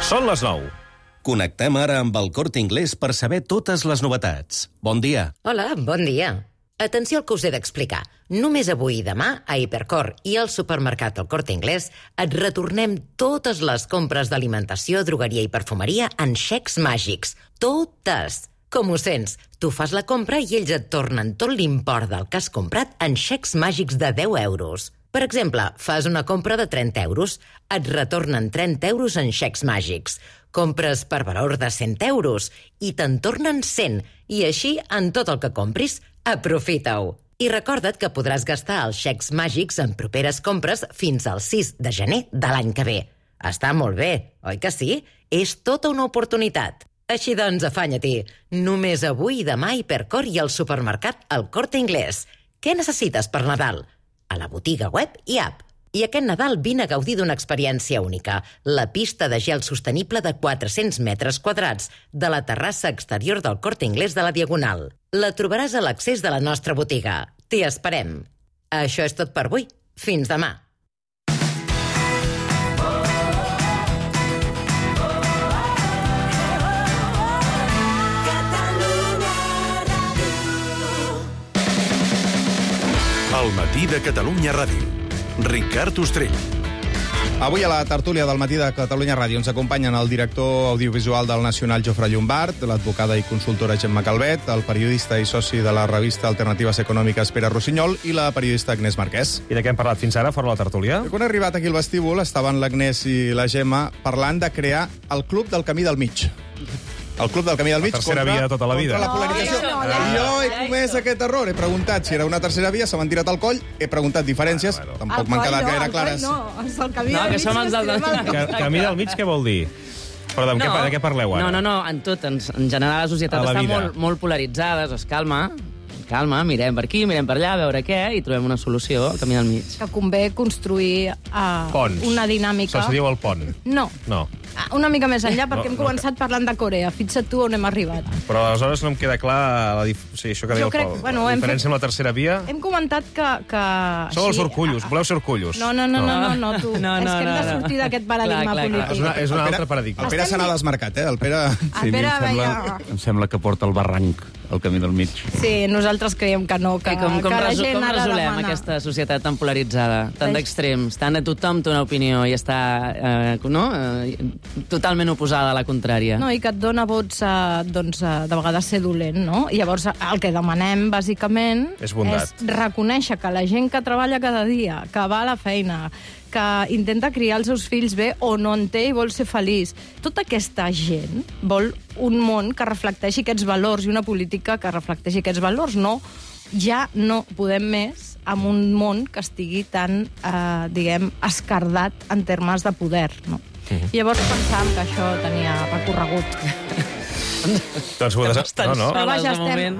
Són les 9. Connectem ara amb el Corte Inglés per saber totes les novetats. Bon dia. Hola, bon dia. Atenció al que us he d'explicar. Només avui i demà, a Hipercor i al supermercat El Corte Inglés, et retornem totes les compres d'alimentació, drogueria i perfumeria en xecs màgics. Totes! Com ho sents? Tu fas la compra i ells et tornen tot l'import del que has comprat en xecs màgics de 10 euros. Per exemple, fas una compra de 30 euros, et retornen 30 euros en xecs màgics. Compres per valor de 100 euros i te'n tornen 100. I així, en tot el que compris, aprofita-ho. I recorda't que podràs gastar els xecs màgics en properes compres fins al 6 de gener de l'any que ve. Està molt bé, oi que sí? És tota una oportunitat. Així doncs, afanya-t'hi. Només avui i demà a Hipercor i al supermercat El Corte Inglés. Què necessites per Nadal? A la botiga web i app. I aquest Nadal vine a gaudir d'una experiència única. La pista de gel sostenible de 400 metres quadrats de la terrassa exterior del Corte Inglés de la Diagonal. La trobaràs a l'accés de la nostra botiga. T'hi esperem. Això és tot per avui. Fins demà. El matí de Catalunya Ràdio. Ricard Ostrell. Avui a la tertúlia del matí de Catalunya Ràdio ens acompanyen el director audiovisual del Nacional, Jofre Llombart, l'advocada i consultora Gemma Calvet, el periodista i soci de la revista Alternatives Econòmiques Pere Rossinyol i la periodista Agnès Marquès. I de què hem parlat fins ara, fora la tertúlia? Quan he arribat aquí al vestíbul estaven l'Agnès i la Gemma parlant de crear el Club del Camí del Mig. El Club del Camí del Mig La tercera via de tota la vida. contra la polarització. Jo he comès aquest error. He preguntat si era una tercera via, se m'han tirat al coll, he preguntat diferències, tampoc m'han quedat gaire clares. No, és el camí del mig. som els del... Camí del mig, què vol dir? Però de què parleu ara? No, en tot. En general la societat A la està vida. molt polaritzada, es calma, mirem per aquí, mirem per allà, a veure què, i trobem una solució al camí del mig. Que convé construir Ponts. una dinàmica... Això se diu el pont. No. No. Una mica més enllà, perquè hem començat parlant de Corea. Fixa't tu on hem arribat. Però aleshores no em queda clar això que deia el Pol. La diferència amb la tercera via... Hem comentat que Sou els orcullos, voleu ser orcullos. No, tu. És que hem de sortir d'aquest paradigma polític. És un altre paradigma. El Pere se n'ha desmarcat, eh? El Pere... El Pere veia... Em sembla que porta el barranc, el camí del mig. Sí, nosaltres creiem que no, que Com la gent ha de resolem demanar. aquesta societat tan polaritzada, tan d'extrems, tant a tothom té una opinió i està totalment oposada a la contrària? No, i que et dona vots de vegades ser dolent, no? I llavors el que demanem, bàsicament, És bondat. reconèixer que la gent que treballa cada dia, que va a la feina, que intenta criar els seus fills bé o no en té i vol ser feliç, tota aquesta gent vol un món que reflecteixi aquests valors i una política que reflecteixi aquests valors. No, ja no podem més amb un món que estigui tan, escardat en termes de poder, no? I llavors pensàvem que això tenia recorregut. Doncs ho No. Però vaja,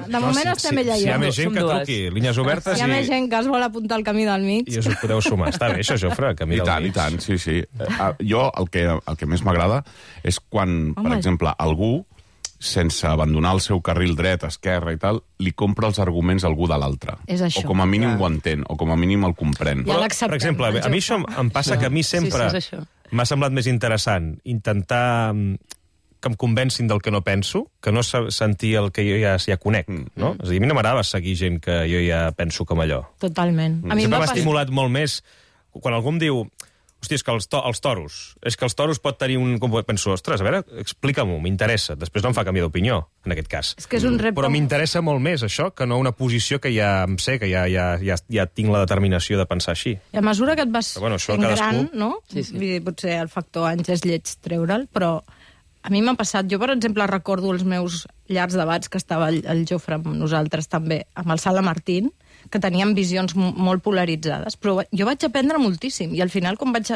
de moment estem ella i Si hi ha jo. més gent que truqui, línies obertes Si hi ha més gent que es vol apuntar al camí del mig... i us ho podeu sumar. Està bé, això, Jofre, el camí del mig. I tant, sí. Jo el que més m'agrada és quan, per exemple, algú, sense abandonar el seu carril dret, esquerra i tal, li compra els arguments a algú de l'altre. És això. O com a mínim ho entén, o com a mínim el comprèn. Ja l'acceptem, Per exemple, a mi això em passa que a mi sempre Sí, és això. m'ha semblat més interessant intentar que em convencin del que no penso, que no sentir el que jo ja conec, no? És a dir, a mi no m'agrada seguir gent que jo ja penso com allò. Totalment. A mi Sempre em va m'ha estimulat molt més quan algú em diu hòstia, és que els toros, és que els toros pot tenir un... Penso, ostres, a veure, explica-m'ho, m'interessa. Després no em fa canviar d'opinió, en aquest cas. És que és un repte... Però m'interessa molt més això que no una posició que ja em sé, que ja tinc la determinació de pensar així. I a mesura que et vas això fent cadascú... gran, no? Sí. Vull dir, potser el factor anys és lleig treure'l, però a mi m'ha passat... Jo, per exemple, recordo els meus llargs debats que estava el Jofre amb nosaltres també, amb el Sala Martín, que teníem visions molt polaritzades, però jo vaig aprendre moltíssim, i al final, quan vaig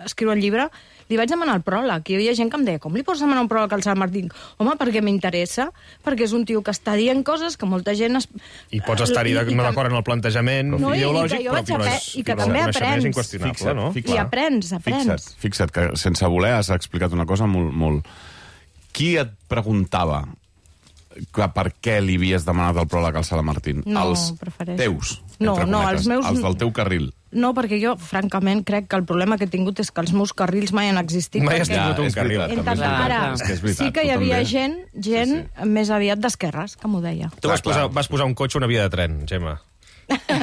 escriure el llibre, li vaig demanar el pròleg, i hi havia gent que em deia, com li pots demanar un pròleg al Sala Martín? Home, perquè m'interessa, perquè és un tio que està dient coses que molta gent... I pots estar-hi no d'acord en el plantejament ideològic, i que també aprens. És inqüestionable, no? I aprens. Fixa't que sense voler has explicat una cosa molt... Qui et preguntava per què li havies demanat el pròleg al Sala Martín? No, els prefereixo. teus, No, entre no, cometes, els meus... els del teu carril. No, perquè jo, francament, crec que el problema que he tingut és que els meus carrils mai han existit. Mai has perquè tingut un carril. Ara, És que és veritat, sí que hi tu havia també. gent més aviat d'esquerres, que m'ho deia. Tu vas posar un cotxe a una via de tren, Gemma.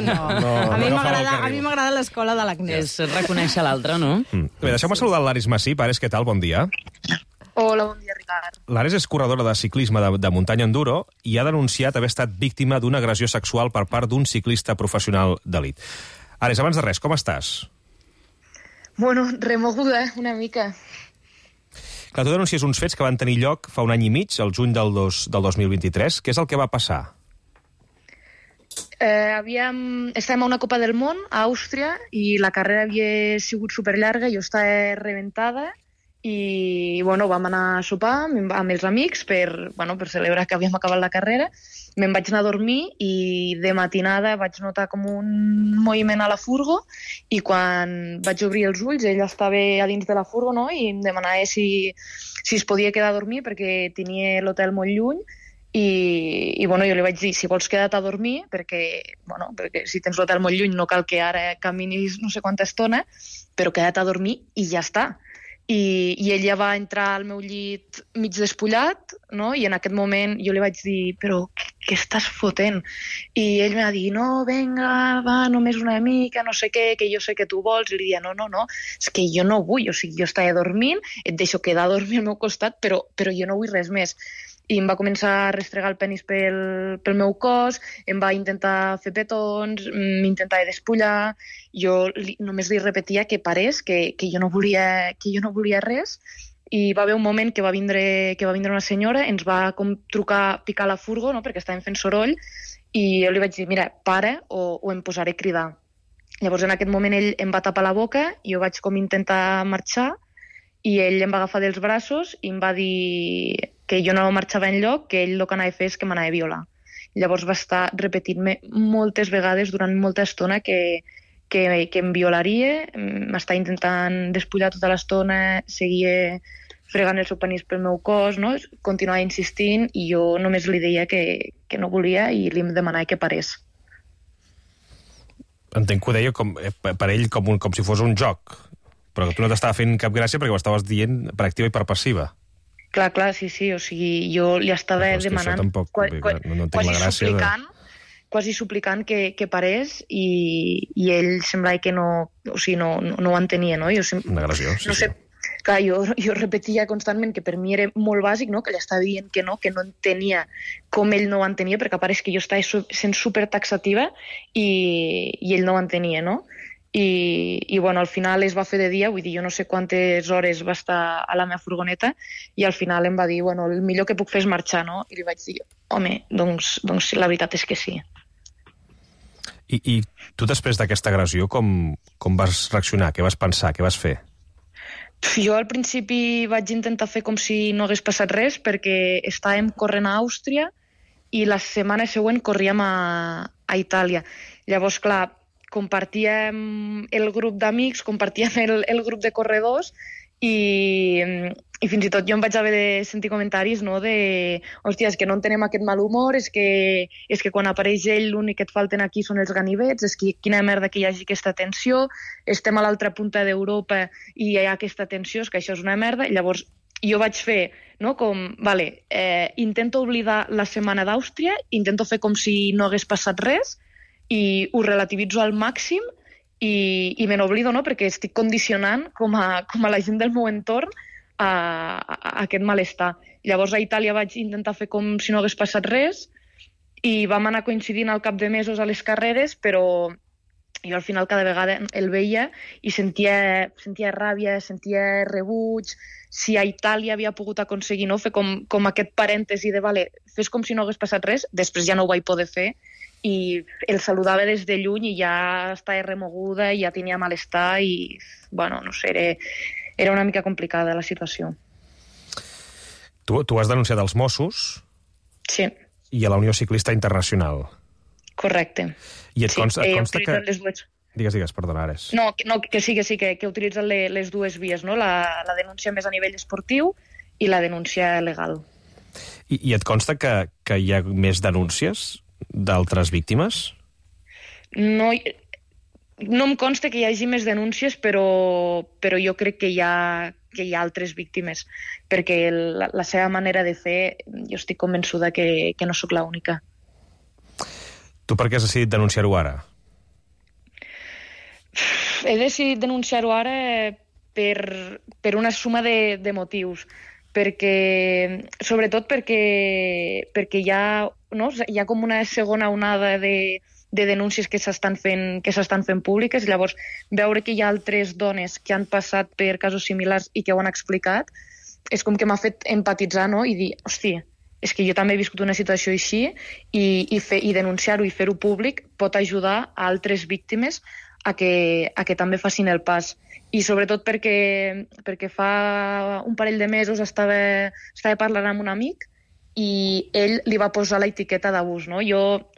No, a mi m'agrada l'escola de l'Agnès. És reconèixer l'altre, no? Bé, deixeu-me saludar l'Ares Massip. Ares, què tal? Bon dia. Hola, bon dia, Ricard. L'Ares és corredora de ciclisme de muntanya enduro i ha denunciat haver estat víctima d'una agressió sexual per part d'un ciclista professional d'elit. Ares, abans de res, com estàs? Bueno, remoguda, una mica. Clar, tu denuncies uns fets que van tenir lloc fa un any i mig, el juny del 2023. Què és el que va passar? Estàvem a una Copa del Món, a Àustria, i la carrera havia sigut superllarga, jo estava rebentada, i bueno, vam anar a sopar amb els amics per celebrar que havíem acabat la carrera. Me'n vaig anar a dormir i de matinada vaig notar com un moviment a la furgo i quan vaig obrir els ulls ell estava a dins de la furgo, no? I em demanava si es podia quedar a dormir perquè tenia l'hotel molt lluny i bueno, jo li vaig dir si vols quedar-te a dormir perquè si tens l'hotel molt lluny no cal que ara caminis no sé quanta estona, però queda't a dormir i ja està. I ell ja va entrar al meu llit mig despullat, no? I en aquest moment jo li vaig dir però què estàs fotent? I ell m'ha dit no, venga, va, només una mica, no sé què, que jo sé que tu vols. I li dia no, és que jo no vull, o sigui, jo estava dormint, et deixo quedar a dormir al meu costat, però jo no vull res més. I em va començar a restregar el penis pel meu cos, em va intentar fer petons, m'intentava despullar, jo només li repetia que parés, que jo no volia res, i va haver un moment que va vindre una senyora, ens va com trucar, picar la furgo, no? Perquè estàvem fent soroll, i jo li vaig dir, mira, para o em posaré a cridar. Llavors en aquest moment ell em va tapar la boca, jo vaig com intentar marxar, i ell em va agafar dels braços i em va dir que jo no marxava enlloc, que ell el que anava a fer és que m'anava a violar. Llavors va estar repetint-me moltes vegades durant molta estona que em violaria, m'estava intentant despullar tota l'estona, seguia fregant el seu penis pel meu cos, no? Continuava insistint i jo només li deia que no volia i li demanava que parés. Entenc que ho deia per ell com si fos un joc, però que tu no t'estava fent cap gràcia perquè ho estaves dient per activa i per passiva. Clar, sí, o sigui, jo li estava demanant, tampoc, quasi suplicant que parés i ell semblava que no ho entenia, no? Una agressió, sí. No sé, clar, jo repetia constantment que per mi era molt bàsic, no? Que ell estava dient que no entenia com ell no ho entenia, perquè pareix que jo estava sent supertaxativa i ell no ho entenia, no? I bueno, al final es va fer de dia, vull dir, jo no sé quantes hores va estar a la meva furgoneta i al final em va dir, bueno, el millor que puc fer és marxar, no? I li vaig dir, home, doncs la veritat és que sí. I tu després d'aquesta agressió com vas reaccionar? Què vas pensar? Què vas fer? Jo al principi vaig intentar fer com si no hagués passat res perquè estàvem corrent a Àustria i la setmana següent corríem a Itàlia. Llavors, clar, compartíem el grup d'amics, compartíem el grup de corredors i fins i tot jo em vaig haver de sentir comentaris, no, de hòstia, és que no entenem aquest mal humor, és que quan apareix ell l'únic que et falten aquí són els ganivets, és que quina merda que hi hagi aquesta tensió, estem a l'altra punta d'Europa i hi ha aquesta tensió, és que això és una merda. Llavors jo vaig fer, no, com, vale, intento oblidar la setmana d'Àustria, intento fer com si no hagués passat res, i ho relativitzo al màxim i me n'oblido, no? Perquè estic condicionant com a la gent del meu entorn a aquest malestar. Llavors a Itàlia vaig intentar fer com si no hagués passat res i vam anar coincidint al cap de mesos a les carreres, però jo al final cada vegada el veia i sentia ràbia, sentia rebuig. Si a Itàlia havia pogut aconseguir, no, fer com aquest parèntesi de vale, fes com si no hagués passat res, després ja no ho vaig poder fer i el saludava des de lluny i ja estava remoguda i ja tenia malestar i, bueno, no sé, era una mica complicada la situació. Tu has denunciat als Mossos? Sí. I a la Unió Ciclista Internacional? Correcte. I et consta que... Les dues. Digues, perdona, Ares. No, que sí, que utilitzen les dues vies, no? La denúncia més a nivell esportiu i la denúncia legal. I et consta que hi ha més denúncies d'altres víctimes? No, No em consta que hi hagi més denúncies, però jo crec que hi ha altres víctimes, perquè la seva manera de fer, jo estic convençuda que no sóc l'única. Tu per què has decidit denunciar-ho ara? He decidit denunciar-ho ara per una suma de motius. Sobretot perquè hi ha com una segona onada de denúncies que s'estan fent públiques. Llavors, veure que hi ha altres dones que han passat per casos similars i que ho han explicat, és com que m'ha fet empatitzar, no? I dir, hòstia, és que jo també he viscut una situació així i denunciar-ho i fer-ho públic pot ajudar a altres víctimes a que també facin el pas. I sobretot perquè fa un parell de mesos estava parlant amb un amic i ell li va posar l'etiqueta d'abús, no? Jo,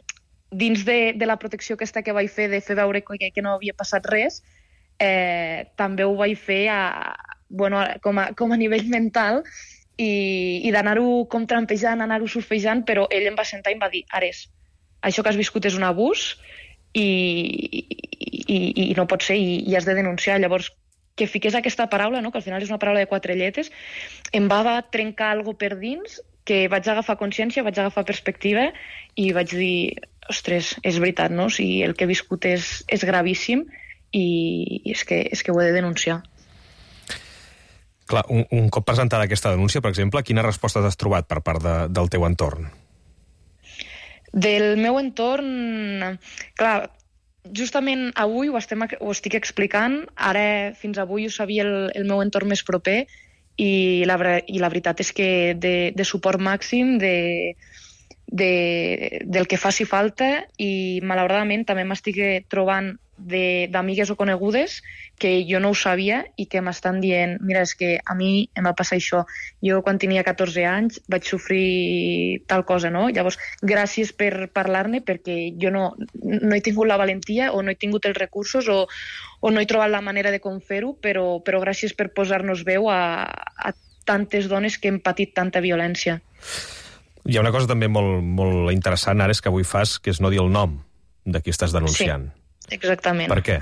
dins de la protecció aquesta que vaig fer de fer veure que no havia passat res, també ho vaig fer com a nivell mental i d'anar-ho com trampejant, anar-ho surfejant, però ell em va sentar i em va dir, Ares, això que has viscut és un abús i no pot ser i has de denunciar. Llavors, que fiqués aquesta paraula, no? Que al final és una paraula de 4 lletres, em va trencar alguna per dins, que vaig agafar consciència, vaig agafar perspectiva i vaig dir, ostres, és veritat, no? O sigui, el que he viscut és gravíssim i és que ho he de denunciar. Clar, un cop presentada aquesta denúncia, per exemple, quines respostes has trobat per part del teu entorn? Del meu entorn, clar, justament avui ho estic explicant, ara fins avui ho sabia el meu entorn més proper i la veritat és que de suport màxim, del que faci falta, i malauradament també m'estic trobant d'amigues o conegudes que jo no ho sabia i que m'estan dient, mira, és que a mi em va passar això. Jo quan tenia 14 anys vaig sofrir tal cosa, no? Llavors, gràcies per parlar-ne, perquè jo no he tingut la valentia o no he tingut els recursos o no he trobat la manera de com fer-ho, però gràcies per posar-nos veu a tantes dones que hem patit tanta violència. Hi ha una cosa també molt, molt interessant ara, és que avui fas, que és no dir el nom de qui estàs denunciant. Sí, exactament. Per què?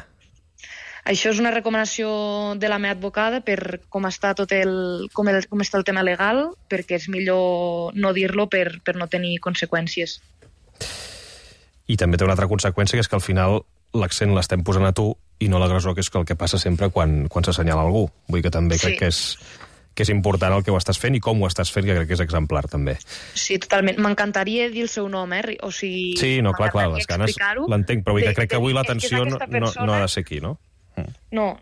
Això és una recomanació de la meva advocada per com està com està el tema legal, perquè és millor no dir-lo per no tenir conseqüències. I també té una altra conseqüència, que és que al final l'accent l'estem posant a tu i no l'agressor, que és el que passa sempre quan s'assenyala algú. Vull dir que també crec que és important el que ho estàs fent i com ho estàs fent, que crec que és exemplar, també. Sí, totalment. M'encantaria dir el seu nom, O sigui, sí, no, clar, les ganes l'entenc, però vull dir que crec que avui l'atenció no ha de ser aquí, no? No.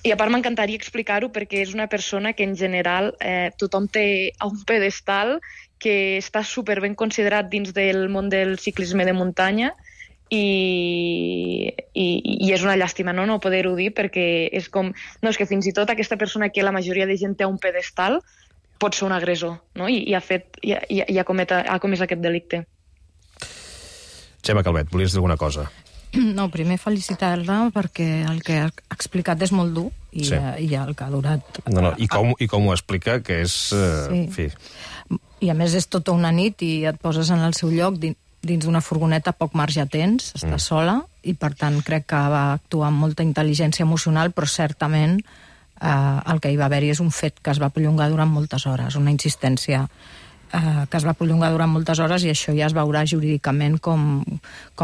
I a part m'encantaria explicar-ho perquè és una persona que en general tothom té a un pedestal, que està superben considerat dins del món del ciclisme de muntanya i és una llàstima no poder-ho dir, perquè és com... No, és que fins i tot aquesta persona que la majoria de gent té a un pedestal pot ser un agressor, no? I ha comès aquest delicte. Gemma Calvet, volies dir alguna cosa? No, primer felicitar-la perquè el que ha explicat és molt dur i el que ha durat... No, i com ho explica, que és... Sí. En fi. I a més és tota una nit i et poses en el seu lloc dins d'una furgoneta, poc marge tens, està sola, i per tant crec que va actuar amb molta intel·ligència emocional, però certament el que hi va haver-hi és un fet que es va prolongar durant moltes hores, una insistència que es va prolongar durant moltes hores, i això ja es veurà jurídicament com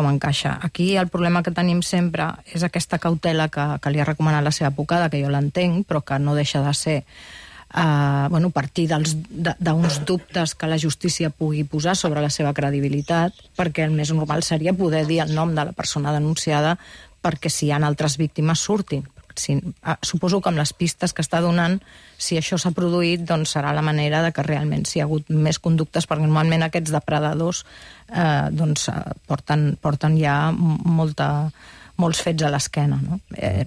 encaixa. Aquí el problema que tenim sempre és aquesta cautela que li ha recomanat la seva advocada, que jo l'entenc, però que no deixa de ser partir d'uns dubtes que la justícia pugui posar sobre la seva credibilitat, perquè el més normal seria poder dir el nom de la persona denunciada perquè si hi ha altres víctimes surtin. Suposo que amb les pistes que està donant, si això s'ha produït, doncs serà la manera de que realment si hi ha hagut més conductes, perquè normalment aquests depredadors porten ja molts fets a l'esquena. No?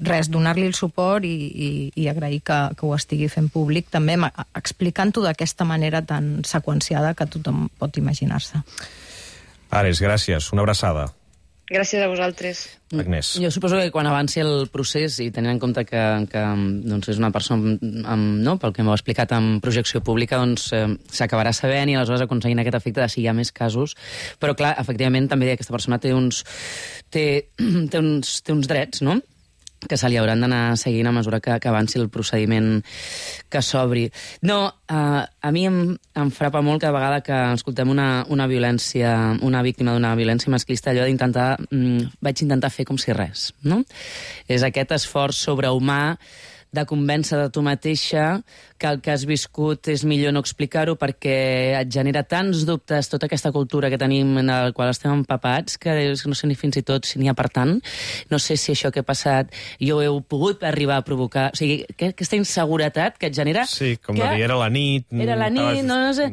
Res, donar-li el suport i agrair que ho estigui fent públic, també explicant-ho d'aquesta manera tan seqüenciada que tothom pot imaginar-se. Ares, gràcies. Una abraçada. Gràcies a vosaltres. Agnès. Jo suposo que quan avanci el procés, i tenint en compte que doncs és una persona, pel que m'ho ha explicat, amb projecció pública, doncs s'acabarà sabent i aleshores aconseguint aquest efecte de si hi ha més casos. Però, clar, efectivament, també aquesta persona té uns drets, no?, que se li hauran d'anar seguint a mesura que avanci el procediment que s'obri. No, a mi em frapa molt cada vegada que escoltem una violència, una víctima d'una violència masclista, allò d'intentar, vaig intentar fer com si res, no? És aquest esforç sobrehumà de convèncer de tu mateixa que el que has viscut és millor no explicar-ho perquè et genera tants dubtes tota aquesta cultura que tenim en la qual estem empapats que no sé ni fins i tot si n'hi ha per tant. No sé si això que ha passat jo he pogut arribar a provocar. O sigui, aquesta inseguretat que et genera... Sí, com de dir, era la nit... Era la nit, no sé...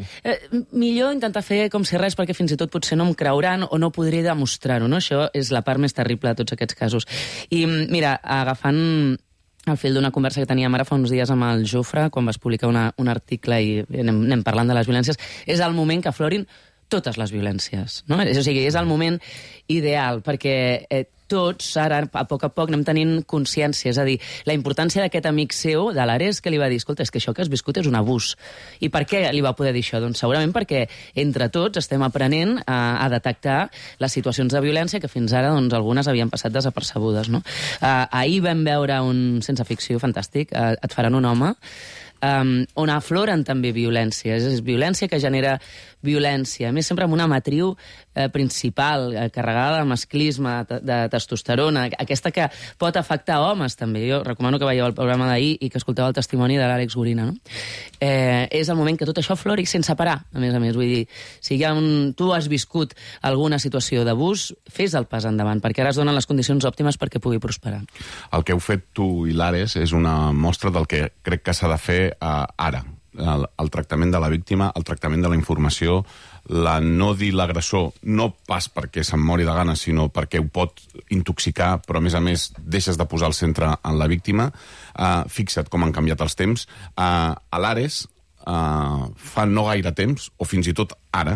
Millor intentar fer com si res perquè fins i tot potser no em creuran o no podré demostrar-ho, no? Això és la part més terrible de tots aquests casos. I mira, agafant el fil d'una conversa que teníem ara fa uns dies amb el Jofre, quan vas publicar un article i anem parlant de les violències, és el moment que aflorin totes les violències, no? O sigui, és el moment ideal, perquè tots, ara, a poc anem tenint consciència, és a dir, la importància d'aquest amic seu, de l'Ares, que li va dir, escolta, és que això que has viscut és un abús. I per què li va poder dir això? Doncs segurament perquè entre tots estem aprenent a detectar les situacions de violència que fins ara, doncs, algunes havien passat desapercebudes, no? Ahir vam veure un sense ficció fantàstic, Et faran un home, on afloren també violències. És violència que genera violència, a més sempre amb una matriu principal, carregada de masclisme, de testosterona, aquesta que pot afectar homes també. Jo recomano que veieu el programa d'ahir i que escolteu el testimoni de l'Àlex Gorina, no? És el moment que tot això aflori sense parar, a més. Vull dir, si tu has viscut alguna situació d'abús, fes el pas endavant, perquè ara es donen les condicions òptimes perquè pugui prosperar. El que heu fet tu i l'Ares és una mostra del que crec que s'ha de fer ara. El tractament de la víctima, el tractament de la informació, la no dir l'agressor, no pas perquè se'n mori de gana, sinó perquè ho pot intoxicar, però a més deixes de posar el centre en la víctima. Fixa't com han canviat els temps. A l'Ares, fa no gaire temps, o fins i tot ara,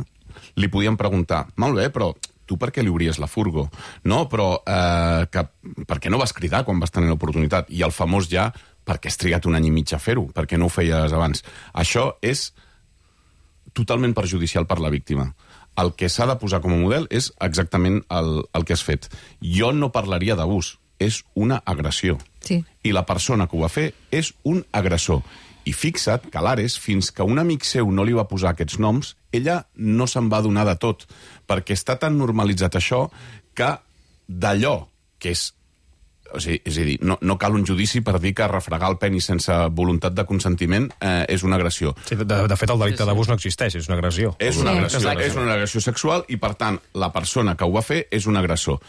li podien preguntar, molt bé, però tu per què li obries la furgo? No, però per què no vas cridar quan vas tenir l'oportunitat? I el famós ja, per què has trigat un any i mig a fer-ho? Per què no ho feies abans? Això és totalment perjudicial per la víctima. El que s'ha de posar com a model és exactament el que has fet. Jo no parlaria d'abús, és una agressió. Sí. I la persona que ho va fer és un agressor. I fixa't que l'Ares, fins que un amic seu no li va posar aquests noms, ella no se'n va donar de tot, perquè està tan normalitzat això que d'allò que és... O sigui, és a dir, no cal un judici per dir que refregar el penis sense voluntat de consentiment és una agressió. Sí, de fet, el delicte d'abús no existeix, és una agressió. És una agressió sexual i, per tant, la persona que ho va fer és un agressor.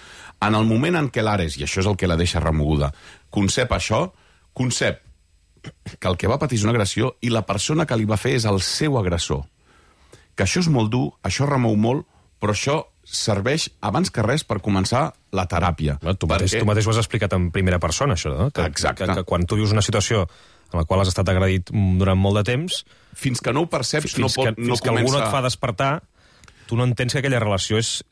En el moment en què l'Ares, i això és el que la deixa remoguda, concep això, concep que el que va patir és una agressió i la persona que li va fer és el seu agressor. Que això és molt dur, això remou molt, però això serveix, abans que res, per començar la teràpia. Tu mateix ho has explicat en primera persona, això, no? Exacte. Que quan tu vius una situació en la qual has estat agredit durant molt de temps... Fins que no ho perceps, no comença... Fins que algú no et fa despertar, tu no entens que aquella relació és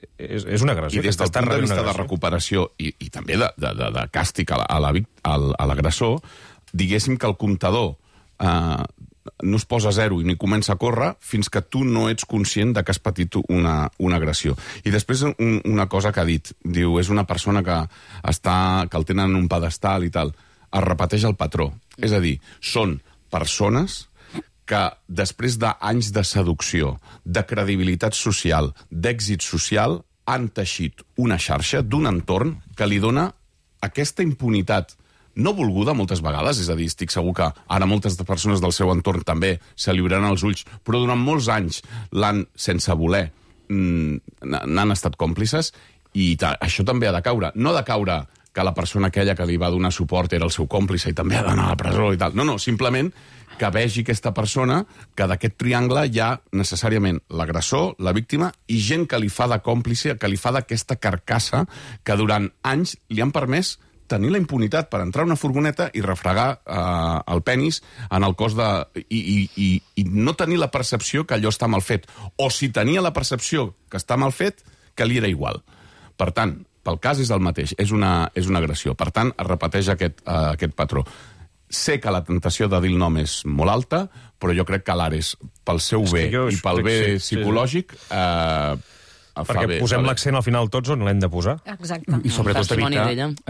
una agressió. I des del punt de vista de recuperació i també de càstig a l'agressor, diguéssim que el comptador no es posa a zero i ni comença a córrer fins que tu no ets conscient de que has patit una agressió. I després una cosa que ha dit, diu, és una persona que el tenen en un pedestal i tal. Es repeteix el patró. És a dir, són persones que després d'anys de seducció, de credibilitat social, d'èxit social, han teixit una xarxa d'un entorn que li dona aquesta impunitat no volguda moltes vegades, és a dir, estic segur que ara moltes persones del seu entorn també se li obriran els ulls, però durant molts anys l'han, sense voler, n'han estat còmplices, i això també ha de caure. No ha de caure que la persona aquella que li va donar suport era el seu còmplice i també ha d'anar a la presó i tal. No, simplement que vegi aquesta persona que d'aquest triangle hi ha necessàriament l'agressor, la víctima i gent que li fa de còmplice, que li fa d'aquesta carcassa que durant anys li han permès tenir la impunitat per entrar a una furgoneta i refregar el penis en el cos de... I no tenir la percepció que allò està mal fet. O si tenia la percepció que està mal fet, que li era igual. Per tant, pel cas és el mateix, és una agressió. Per tant, es repeteix aquest patró. Sé que la tentació de dir el nom és molt alta, però jo crec que l'Ares, pel seu bé i pel bé psicològic, perquè posem l'accent al final tots on l'hem de posar. Exacte. I sobretot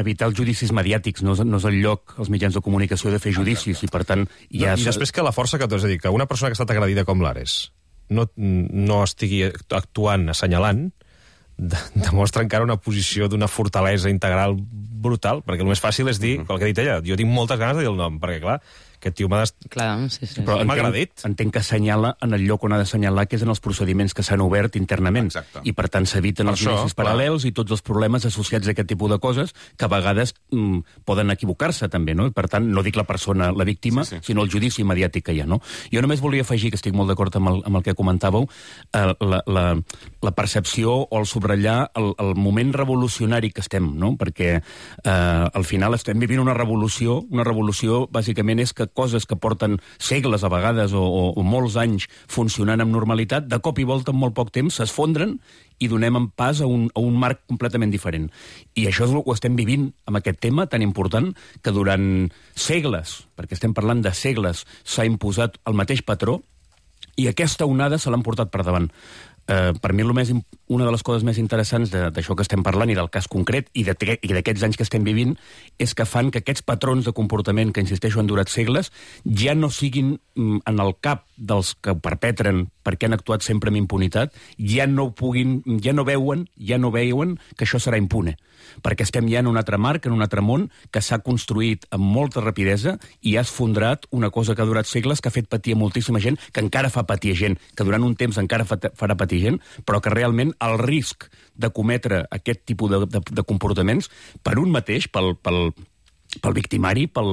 evitar els judicis mediàtics. No és el lloc, els mitjans de comunicació, de fer judicis, i per tant... I després que la força que tu has de dir, que una persona que ha estat agredida com l'Ares no estigui actuant, assenyalant, demostra encara una posició d'una fortalesa integral brutal, perquè el més fàcil és dir, el que ha dit ella, jo tinc moltes ganes de dir el nom, perquè clar, aquest tio m'ha agredit. Entenc que assenyala en el lloc on ha d'assenyalar, que és en els procediments que s'han obert internament. Exacte. I per tant s'eviten els judicis paral·lels i tots els problemes associats a aquest tipus de coses que a vegades poden equivocar-se també, no? Per tant, no dic la persona, la víctima, sinó el judici mediàtic que hi ha, no? Jo només volia afegir, que estic molt d'acord amb el que comentàveu, la percepció o el subratllar el moment revolucionari que estem, no? Perquè al final estem vivint una revolució bàsicament és que coses que porten segles a vegades o molts anys funcionant amb normalitat, de cop i volta en molt poc temps s'esfondren i donem en pas a un marc completament diferent. I això ho estem vivint amb aquest tema tan important que durant segles, perquè estem parlant de segles, s'ha imposat el mateix patró i aquesta onada se l'han portat per davant. Per mi una de les coses més interessants d'això que estem parlant i del cas concret i d'aquests anys que estem vivint és que fan que aquests patrons de comportament que, insisteixo, han durat segles ja no siguin en el cap dels que ho perpetren perquè han actuat sempre amb impunitat, ja no veuen que això serà impune, perquè estem ja en un altre marc, en un altre món que s'ha construït amb molta rapidesa i ha esfondrat una cosa que ha durat segles, que ha fet patir a moltíssima gent, que encara fa patir gent, que durant un temps encara farà patir gent, però que realment el risc de cometre aquest tipus de comportaments per un mateix, pel victimari, per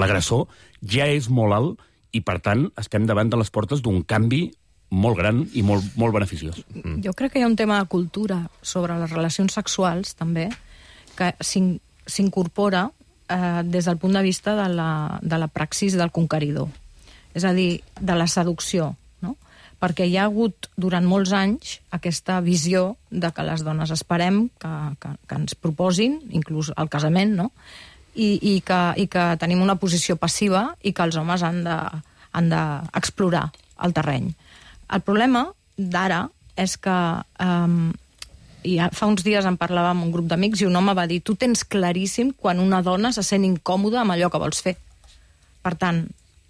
l'agressor, ja és molt alt i, per tant, estem davant de les portes d'un canvi molt gran i molt beneficiós. Jo crec que hi ha un tema de cultura sobre les relacions sexuals, també, que s'incorpora des del punt de vista de la praxis del conqueridor. És a dir, de la seducció, no? Perquè hi ha hagut, durant molts anys, aquesta visió de que les dones esperem que ens proposin, inclús el casament, no? I que tenim una posició passiva i que els homes han d'explorar el terreny. El problema d'ara és que fa uns dies en parlava amb un grup d'amics i un home va dir: tu tens claríssim quan una dona se sent incòmoda amb allò que vols fer. Per tant,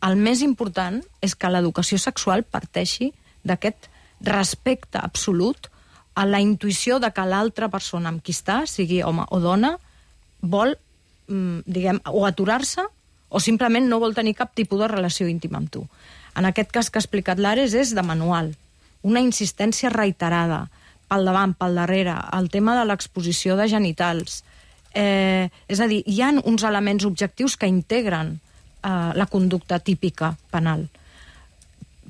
el més important és que l'educació sexual parteixi d'aquest respecte absolut a la intuïció de que l'altra persona amb qui està, sigui home o dona, vol, o aturar-se o simplement no vol tenir cap tipus de relació íntima amb tu. En aquest cas que ha explicat l'Ares és de manual. Una insistència reiterada, pel davant, pel darrere, el tema de l'exposició de genitals. És a dir, hi ha uns elements objectius que integren la conducta típica penal.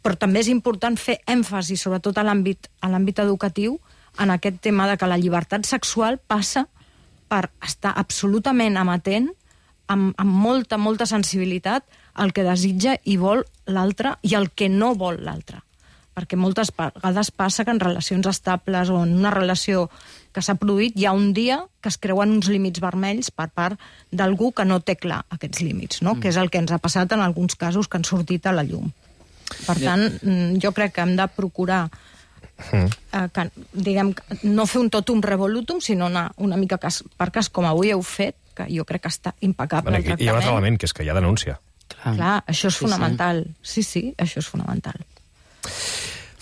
Però també és important fer èmfasi, sobretot a l'àmbit educatiu, en aquest tema de que la llibertat sexual passa per estar absolutament amatent, amb molta sensibilitat, al que desitja i vol l'altre i el que no vol l'altre. Perquè moltes vegades passa que en relacions estables o en una relació que s'ha produït hi ha un dia que es creuen uns límits vermells per part d'algú que no té clar aquests límits, no? Que és el que ens ha passat en alguns casos que han sortit a la llum. Per tant, jo crec que hem de procurar que, no fer un totum revolutum, sinó anar una mica cas per cas, com avui heu fet, que jo crec que està impecable el tractament. Hi ha un altre element, que és que hi ha denúncia. Clar, això és fonamental. Sí, això és fonamental.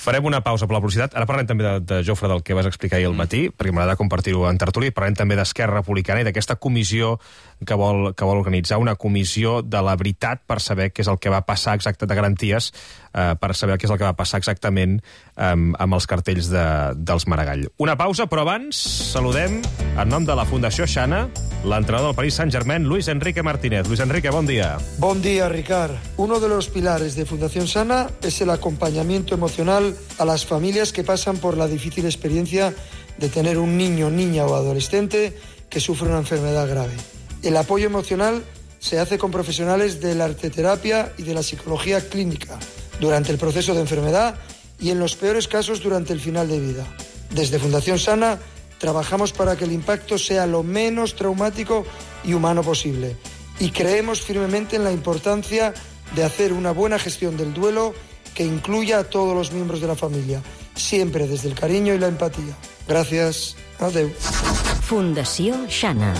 Farem una pausa per la publicitat. Ara parlem també de Jofre, del que vas explicar ahir al matí, perquè m'agrada compartir-ho en tertúlia. Parlem també d'Esquerra Republicana i d'aquesta comissió que vol organitzar, una comissió de la veritat per saber què és el que va passar exacte de garanties, per saber què és el que va passar exactament amb els cartells dels Maragall. Una pausa, però abans saludem, en nom de la Fundació Xana, l'entrenador del Paris Saint-Germain, Luis Enrique Martínez. Luis Enrique, bon dia. Bon dia, Ricard. Uno de los pilares de Fundación Sana es el acompañamiento emocional a las familias que pasan por la difícil experiencia de tener un niño, niña o adolescente que sufre una enfermedad grave. El apoyo emocional se hace con profesionales de la arteterapia y de la psicología clínica durante el proceso de enfermedad y en los peores casos durante el final de vida. Desde Fundación Sana trabajamos para que el impacto sea lo menos traumático y humano posible. Y creemos firmemente en la importancia de hacer una buena gestión del duelo que incluya a todos los miembros de la familia, siempre desde el cariño y la empatía. Gràcies. Adeu. Fundació Xana.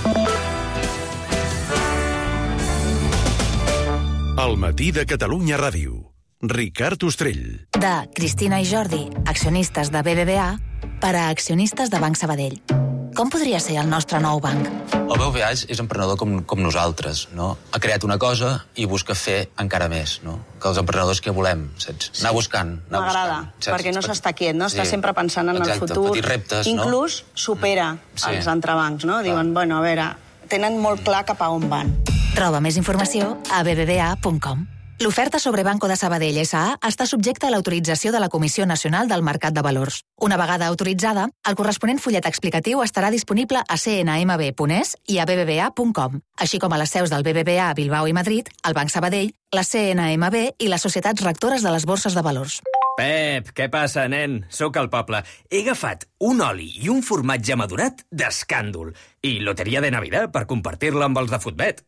El matí de Catalunya Ràdio. Ricard Ostrell. De Cristina i Jordi, accionistes de BBVA, per a accionistes de Banc Sabadell. Com podria ser el nostre nou banc? El BBVA és emprenedor com nosaltres, no? Ha creat una cosa i busca fer encara més, no? Que els emprenedors que volem, saps? Anar buscant. M'agrada, perquè no s'està quiet, no? Està sempre pensant en el futur. Exacte, petits reptes, no? Inclús supera els entrebancs, no? Diuen, bueno, a veure, tenen molt clar cap a on van. Troba més informació a bbva.com. L'oferta sobre Banco de Sabadell S.A. està subjecta a l'autorització de la Comissió Nacional del Mercat de Valors. Una vegada autoritzada, el corresponent fullet explicatiu estarà disponible a cnmb.es i a bbva.com, així com a les seus del BBVA a Bilbao i Madrid, el Banc Sabadell, la CNMB i les societats rectores de les borses de valors. Pep, què passa, nen? Soc al poble. He agafat un oli i un formatge madurat d'escàndol i loteria de Navidad per compartir-la amb els de Futbet.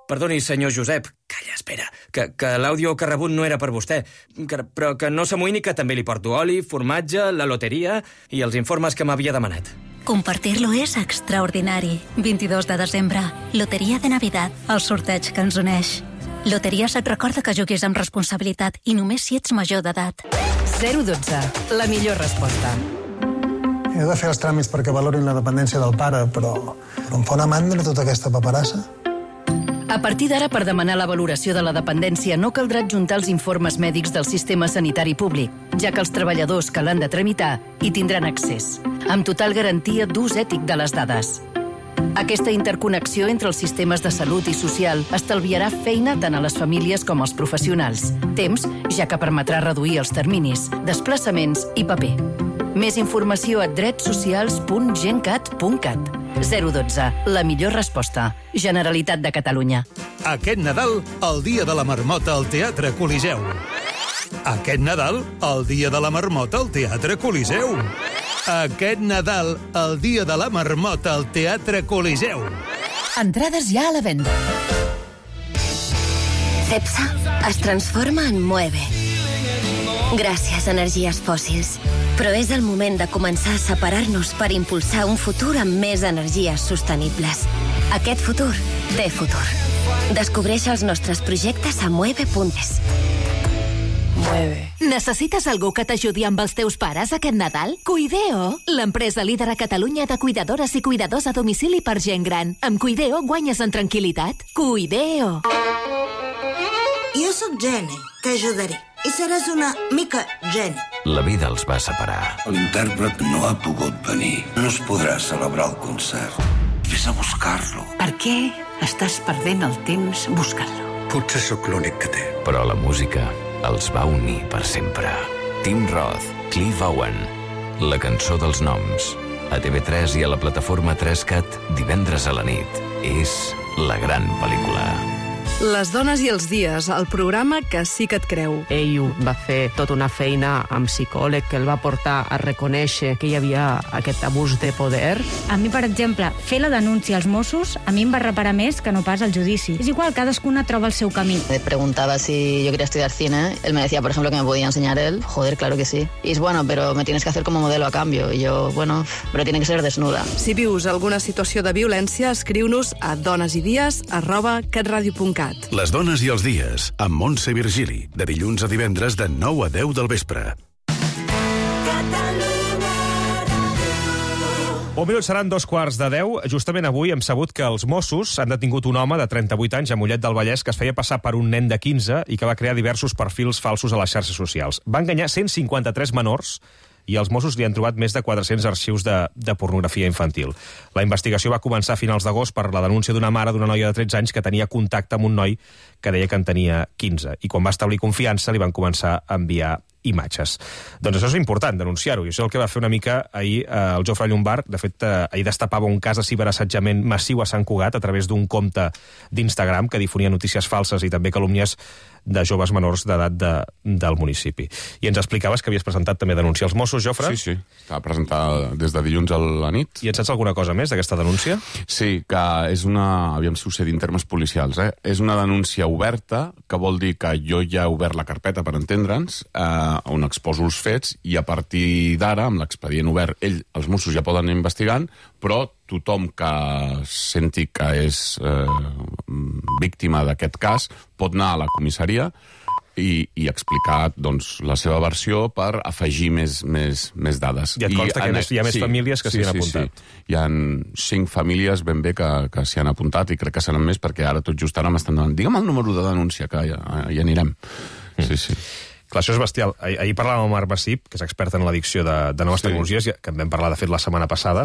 Perdoni, senyor Josep. Calla, espera, que l'àudio que ha rebut no era per vostè. Però que no s'amoïni que també li porto oli, formatge, la loteria i els informes que m'havia demanat. Compartir-lo és extraordinari. 22 de desembre, Loteria de Navidad, el sorteig que ens uneix. Loteries et recorda que juguis amb responsabilitat i només si ets major d'edat. 012, la millor resposta. He de fer els tràmits perquè valorin la dependència del pare, però em fa una mandra tota aquesta paperassa. A partir d'ara, per demanar la valoració de la dependència, no caldrà adjuntar els informes mèdics del sistema sanitari públic, ja que els treballadors que l'han de tramitar hi tindran accés, amb total garantia d'ús ètic de les dades. Aquesta interconnexió entre els sistemes de salut i social estalviarà feina tant a les famílies com als professionals. Temps, ja que permetrà reduir els terminis, desplaçaments i paper. Més informació a dretsocials.gencat.cat. 012, la millor resposta. Generalitat de Catalunya. Aquest Nadal, el dia de la marmota al Teatre Coliseu. Aquest Nadal, el dia de la marmota al Teatre Coliseu. Aquest Nadal, el dia de la marmota al Teatre Coliseu. Entrades ja a la venda. Cepsa es transforma en Moeve. Gràcies, energies fòssils. Però és el moment de començar a separar-nos per impulsar un futur amb més energies sostenibles. Aquest futur té futur. Descobreix els nostres projectes a mueve.es. Necessites algú que t'ajudi amb els teus pares aquest Nadal? Cuideo, l'empresa líder a Catalunya de cuidadores i cuidadors a domicili per gent gran. Amb Cuideo guanyes en tranquil·litat. Cuideo. Jo sóc Jenny, t'ajudaré. I seràs una mica Jenny. La vida els va separar. L'intèrpret no ha pogut venir. No es podrà celebrar el concert. Ves a buscar-lo. Per què estàs perdent el temps buscant-lo? Potser sóc l'únic que té. Però la música els va unir per sempre. Tim Roth, Cliff Owen, la cançó dels noms. A TV3 i a la plataforma 3CAT, divendres a la nit. És la gran pel·lícula. Les dones i els dies, el programa que sí que et creu. Ell va fer tota una feina amb psicòleg que el va portar a reconèixer que hi havia aquest abús de poder. A mi, per exemple, fer la denúncia als Mossos a mi em va reparar més que no pas el judici. És igual, cadascuna troba el seu camí. Me preguntaba si yo quería estudiar cine. Él me decía, por ejemplo, que me podía enseñar él. Joder, claro que sí. Y es bueno, pero me tienes que hacer como modelo a cambio. Y yo, bueno, pero tiene que ser desnuda. Si vius alguna situació de violència, escriu-nos a donesidies@catradio.cat. Les dones i els dies, amb Montse Virgili, de dilluns a divendres de 9 a 10 del vespre. Un minut seran 2:15. Justament avui hem sabut que els Mossos han detingut un home de 38 anys a Mollet del Vallès que es feia passar per un nen de 15 i que va crear diversos perfils falsos a les xarxes socials. Va enganyar 153 menors i els Mossos li han trobat més de 400 arxius de pornografia infantil. La investigació va començar a finals d'agost per la denúncia d'una mare d'una noia de 13 anys que tenia contacte amb un noi que deia que en tenia 15. I quan va establir confiança li van començar a enviar imatges. Doncs això és important, denunciar-ho, i això és el que va fer una mica ahir el Jofre Llombart. De fet, ahir destapava un cas de ciberassetjament massiu a Sant Cugat a través d'un compte d'Instagram que difonia notícies falses i també calúmnies de joves menors d'edat del municipi. I ens explicaves que havies presentat també denúncia als Mossos, Jofre? Sí, estava presentada des de dilluns a la nit. I en saps alguna cosa més d'aquesta denúncia? Sí, que és una... Aviam si ho sé dir en termes policials, És una denúncia oberta, que vol dir que jo ja he obert la carpeta, per entendre'ns, on exposo els fets, i a partir d'ara, amb l'expedient obert, els Mossos ja poden anar investigant, però tothom que senti que és víctima d'aquest cas pot anar a la comissaria i explicar doncs, la seva versió per afegir més dades. I et consta que hi ha més famílies que s'hi han apuntat? Sí. Hi ha 5 famílies ben bé que s'hi han apuntat i crec que seran més perquè ara tot just ara m'estan donant. Digue'm el número de denúncia, que ja anirem. Sí. Clar, això és bestial. Ahir parlàvem amb Marc Bassip, que és expert en l'addicció de noves tecnologies, que en vam parlar, de fet, la setmana passada,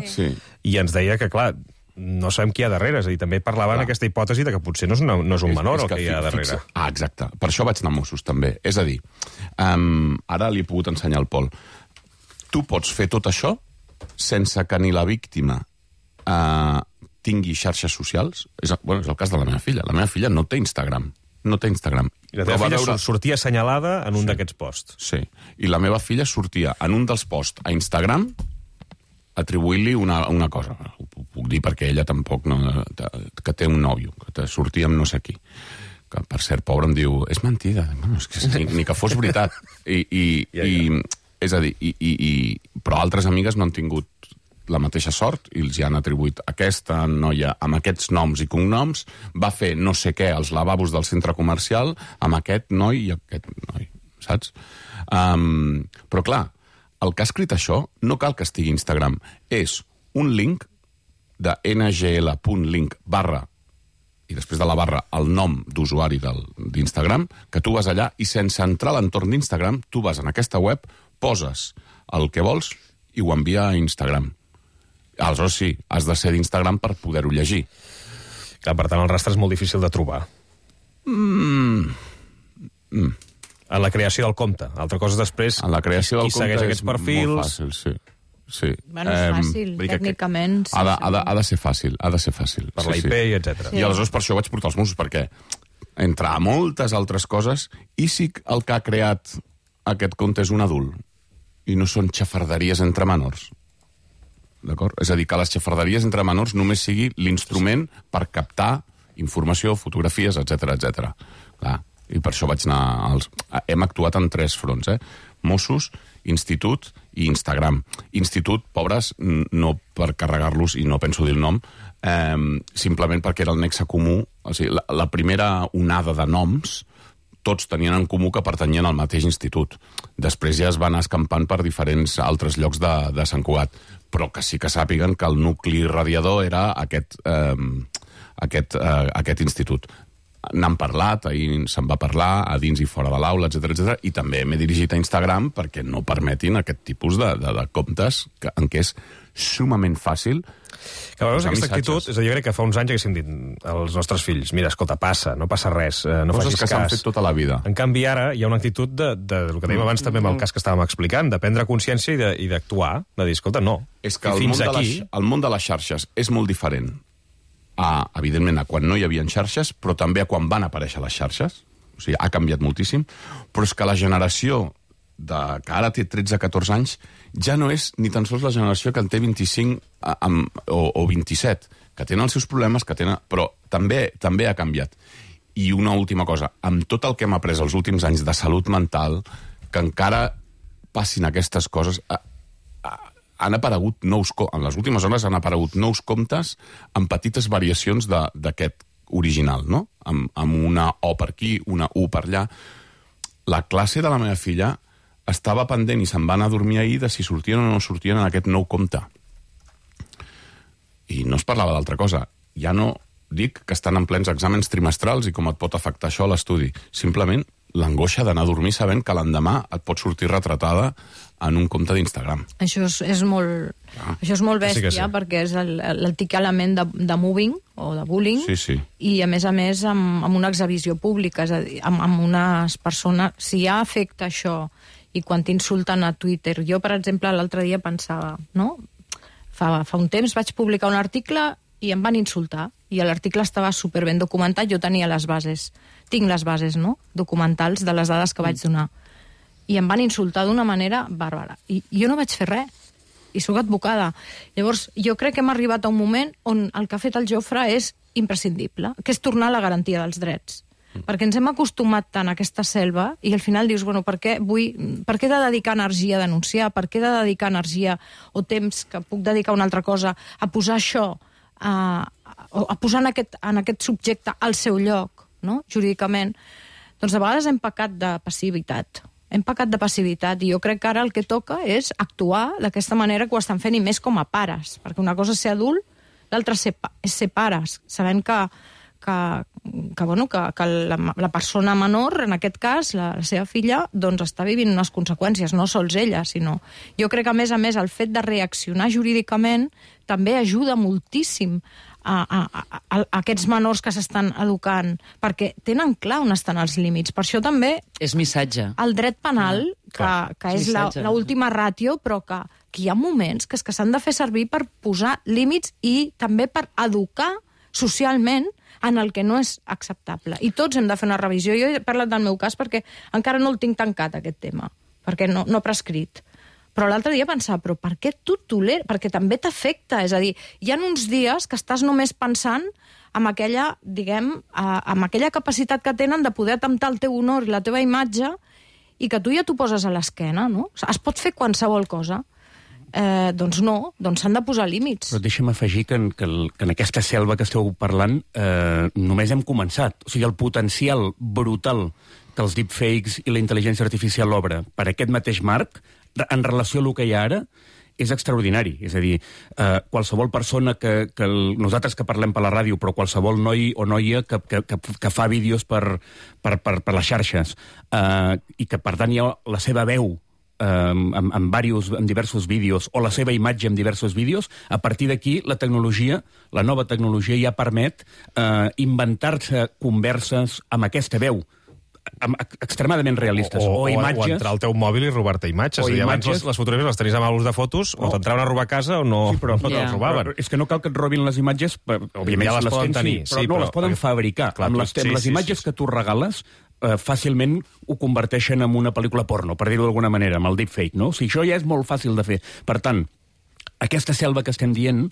i ens deia que, clar, no sabem qui hi ha darrere. És a dir, també parlaven aquesta hipòtesi de que potser no és un menor el que hi ha darrere. Exacte. Per això vaig anar a Mossos, també. És a dir, ara li he pogut ensenyar al Pol. Tu pots fer tot això sense que ni la víctima tingui xarxes socials. És el cas de la meva filla. La meva filla no té Instagram. I la teva filla sortia assenyalada en un d'aquests posts. Sí, i la meva filla sortia en un dels posts a Instagram atribuint-li una cosa. Ho puc dir perquè ella tampoc que té un nòvio, que sortia amb no sé qui. Que, per cert, pobre, em diu, és mentida. Bueno, és que ni que fos veritat. És a dir, però altres amigues no han tingut la mateixa sort i els hi han atribuït aquesta noia amb aquests noms i cognoms, va fer no sé què als lavabos del centre comercial amb aquest noi i aquest noi, saps? Però clar, el que ha escrit això no cal que estigui a Instagram, és un link de ngl.link / i després de la barra el nom d'usuari d'Instagram, que tu vas allà i sense entrar a l'entorn d'Instagram, tu vas en aquesta web, poses el que vols i ho envia a Instagram. Aleshores sí, has de ser d'Instagram per poder-ho llegir. Clar, per tant, el rastre és molt difícil de trobar. En la creació del compte. Altra cosa després, en la creació del qui segueix aquests perfils... Molt fàcil, sí. Bueno, és fàcil, tècnicament. Ha de ser fàcil, Per la IP, etc. I aleshores per això vaig portar els Mossos, perquè entre moltes altres coses, i si el que ha creat aquest compte és un adult, i no són xafarderies entre menors. D'acord? És a dir, que les xafarderies entre menors només sigui l'instrument per captar informació, fotografies, etc. Clar, i per això vaig anar... Hem actuat en 3 fronts, Mossos, Institut i Instagram. Institut, pobres, no per carregar-los, i no penso dir el nom, simplement perquè era el nexe comú. O sigui, la primera onada de noms tots tenien en comú que pertanyien al mateix institut. Després ja es van escampant per diferents altres llocs de Sant Cugat, però que sí que sàpiguen que el nucli radiador era aquest institut. N'han parlat, ahir se'n va parlar a dins i fora de l'aula, etc. I també m'he dirigit a Instagram perquè no permetin aquest tipus de comptes en què és sumament fàcil. Que a vegades aquesta actitud, és a dir, jo crec que fa uns anys haguéssim dit als nostres fills, mira, escolta, no passa res, no facis cas. Coses que s'han fet tota la vida. En canvi, ara hi ha una actitud del que dèiem abans també amb el cas que estàvem explicant, de prendre consciència i d'actuar, de dir, escolta, no. És que el món de les xarxes és molt diferent evidentment, a quan no hi havia xarxes, però també a quan van aparèixer les xarxes. O sigui, ha canviat moltíssim. Però és que la generació que ara té 13-14 anys ja no és ni tan sols la generació que en té 25 o 27, que tenen els seus problemes, però també ha canviat. I una última cosa, amb tot el que hem après els últims anys de salut mental, que encara passin aquestes coses... han aparegut en les últimes hores han aparegut nous comptes amb petites variacions d'aquest original, no? Amb una O per aquí, una U per allà. La classe de la meva filla estava pendent i se'n va anar a dormir ahir de si sortien o no sortien en aquest nou compte. I no es parlava d'altra cosa. Ja no dic que estan en plens exàmens trimestrals i com et pot afectar això a l'estudi. Simplement l'angoixa d'anar a dormir sabent que l'endemà et pot sortir retratada en un compte d'Instagram. Això és molt bèstia, sí. Perquè és l'antic element de mobbing o de bullying, sí. I a més amb una exhibició pública, és a dir, amb unes persones... Si ja afecta això i quan t'insulten a Twitter... Jo, per exemple, l'altre dia pensava, no? Fa un temps vaig publicar un article i em van insultar. i l'article estava superben documentat, jo tenia les bases, tinc les bases, no?, documentals de les dades que vaig donar. I em van insultar d'una manera bàrbara. I jo no vaig fer res, i sóc advocada. Llavors, jo crec que hem arribat a un moment on el que ha fet el Jofre és imprescindible, que és tornar a la garantia dels drets. Perquè ens hem acostumat tant a aquesta selva i al final dius, bueno, per què he de dedicar energia a denunciar? Per què he de dedicar energia o temps que puc dedicar a una altra cosa a posar això, a posar en aquest subjecte al seu lloc, no?, jurídicament? Doncs de vegades hem pecat de passivitat. I jo crec que ara el que toca és actuar d'aquesta manera que ho estan fent, i més com a pares, perquè una cosa és ser adult, l'altra és ser pares, sabent que la persona menor, en aquest cas, la seva filla, doncs està vivint unes conseqüències, no sols ella, sinó... Jo crec que, a més, el fet de reaccionar jurídicament també ajuda moltíssim a aquests menors que s'estan educant, perquè tenen clar on estan els límits. Per això també... És missatge. El dret penal, que és l'última ràtio, però que hi ha moments que s'han de fer servir per posar límits i també per educar socialment en el que no és acceptable. I tots hem de fer una revisió. Jo he parlat del meu cas perquè encara no el tinc tancat, aquest tema, perquè no ha prescrit. Però l'altre dia pensava, però per què tu toleres? Perquè també t'afecta. És a dir, hi ha uns dies que estàs només pensant amb aquella, amb aquella capacitat que tenen de poder atemptar el teu honor i la teva imatge, i que tu ja t'ho poses a l'esquena, no? Es pot fer qualsevol cosa. Doncs no, doncs s'han de posar límits. Però deixa'm afegir que en aquesta selva que esteu parlant només hem començat. O sigui, el potencial brutal que els deepfakes i la intel·ligència artificial obre per aquest mateix marc, en relació a el que hi ha ara, és extraordinari. És a dir, qualsevol persona nosaltres que parlem per la ràdio, però qualsevol noi o noia que fa vídeos per les xarxes i que, per tant, hi ha la seva veu en diversos vídeos, o la seva imatge en diversos vídeos, a partir d'aquí la nova tecnologia ja permet inventar-se converses amb aquesta veu extremadament realistes. O entrar al teu mòbil i robar-te imatges. Abans les fotografies les tenies amb álbums de fotos, o t'entraven a robar a casa o no te'ls robaven. És que no cal que et robin les imatges, òbviament ja les poden tenir, però les poden fabricar. Amb les imatges que tu regales, fàcilment ho converteixen en una pel·lícula porno, per dir-ho d'alguna manera, amb el deepfake, no? O sigui, això ja és molt fàcil de fer. Per tant, aquesta selva que estem dient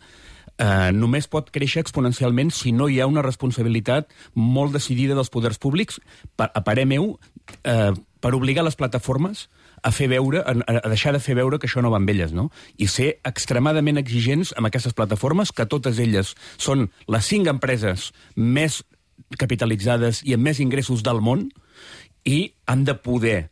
només pot créixer exponencialment si no hi ha una responsabilitat molt decidida dels poders públics, a parer meu, per obligar les plataformes a deixar de fer veure que això no va amb elles, no? I ser extremadament exigents amb aquestes plataformes, que totes elles són les 5 empreses més capitalitzades i amb més ingressos del món, i han de poder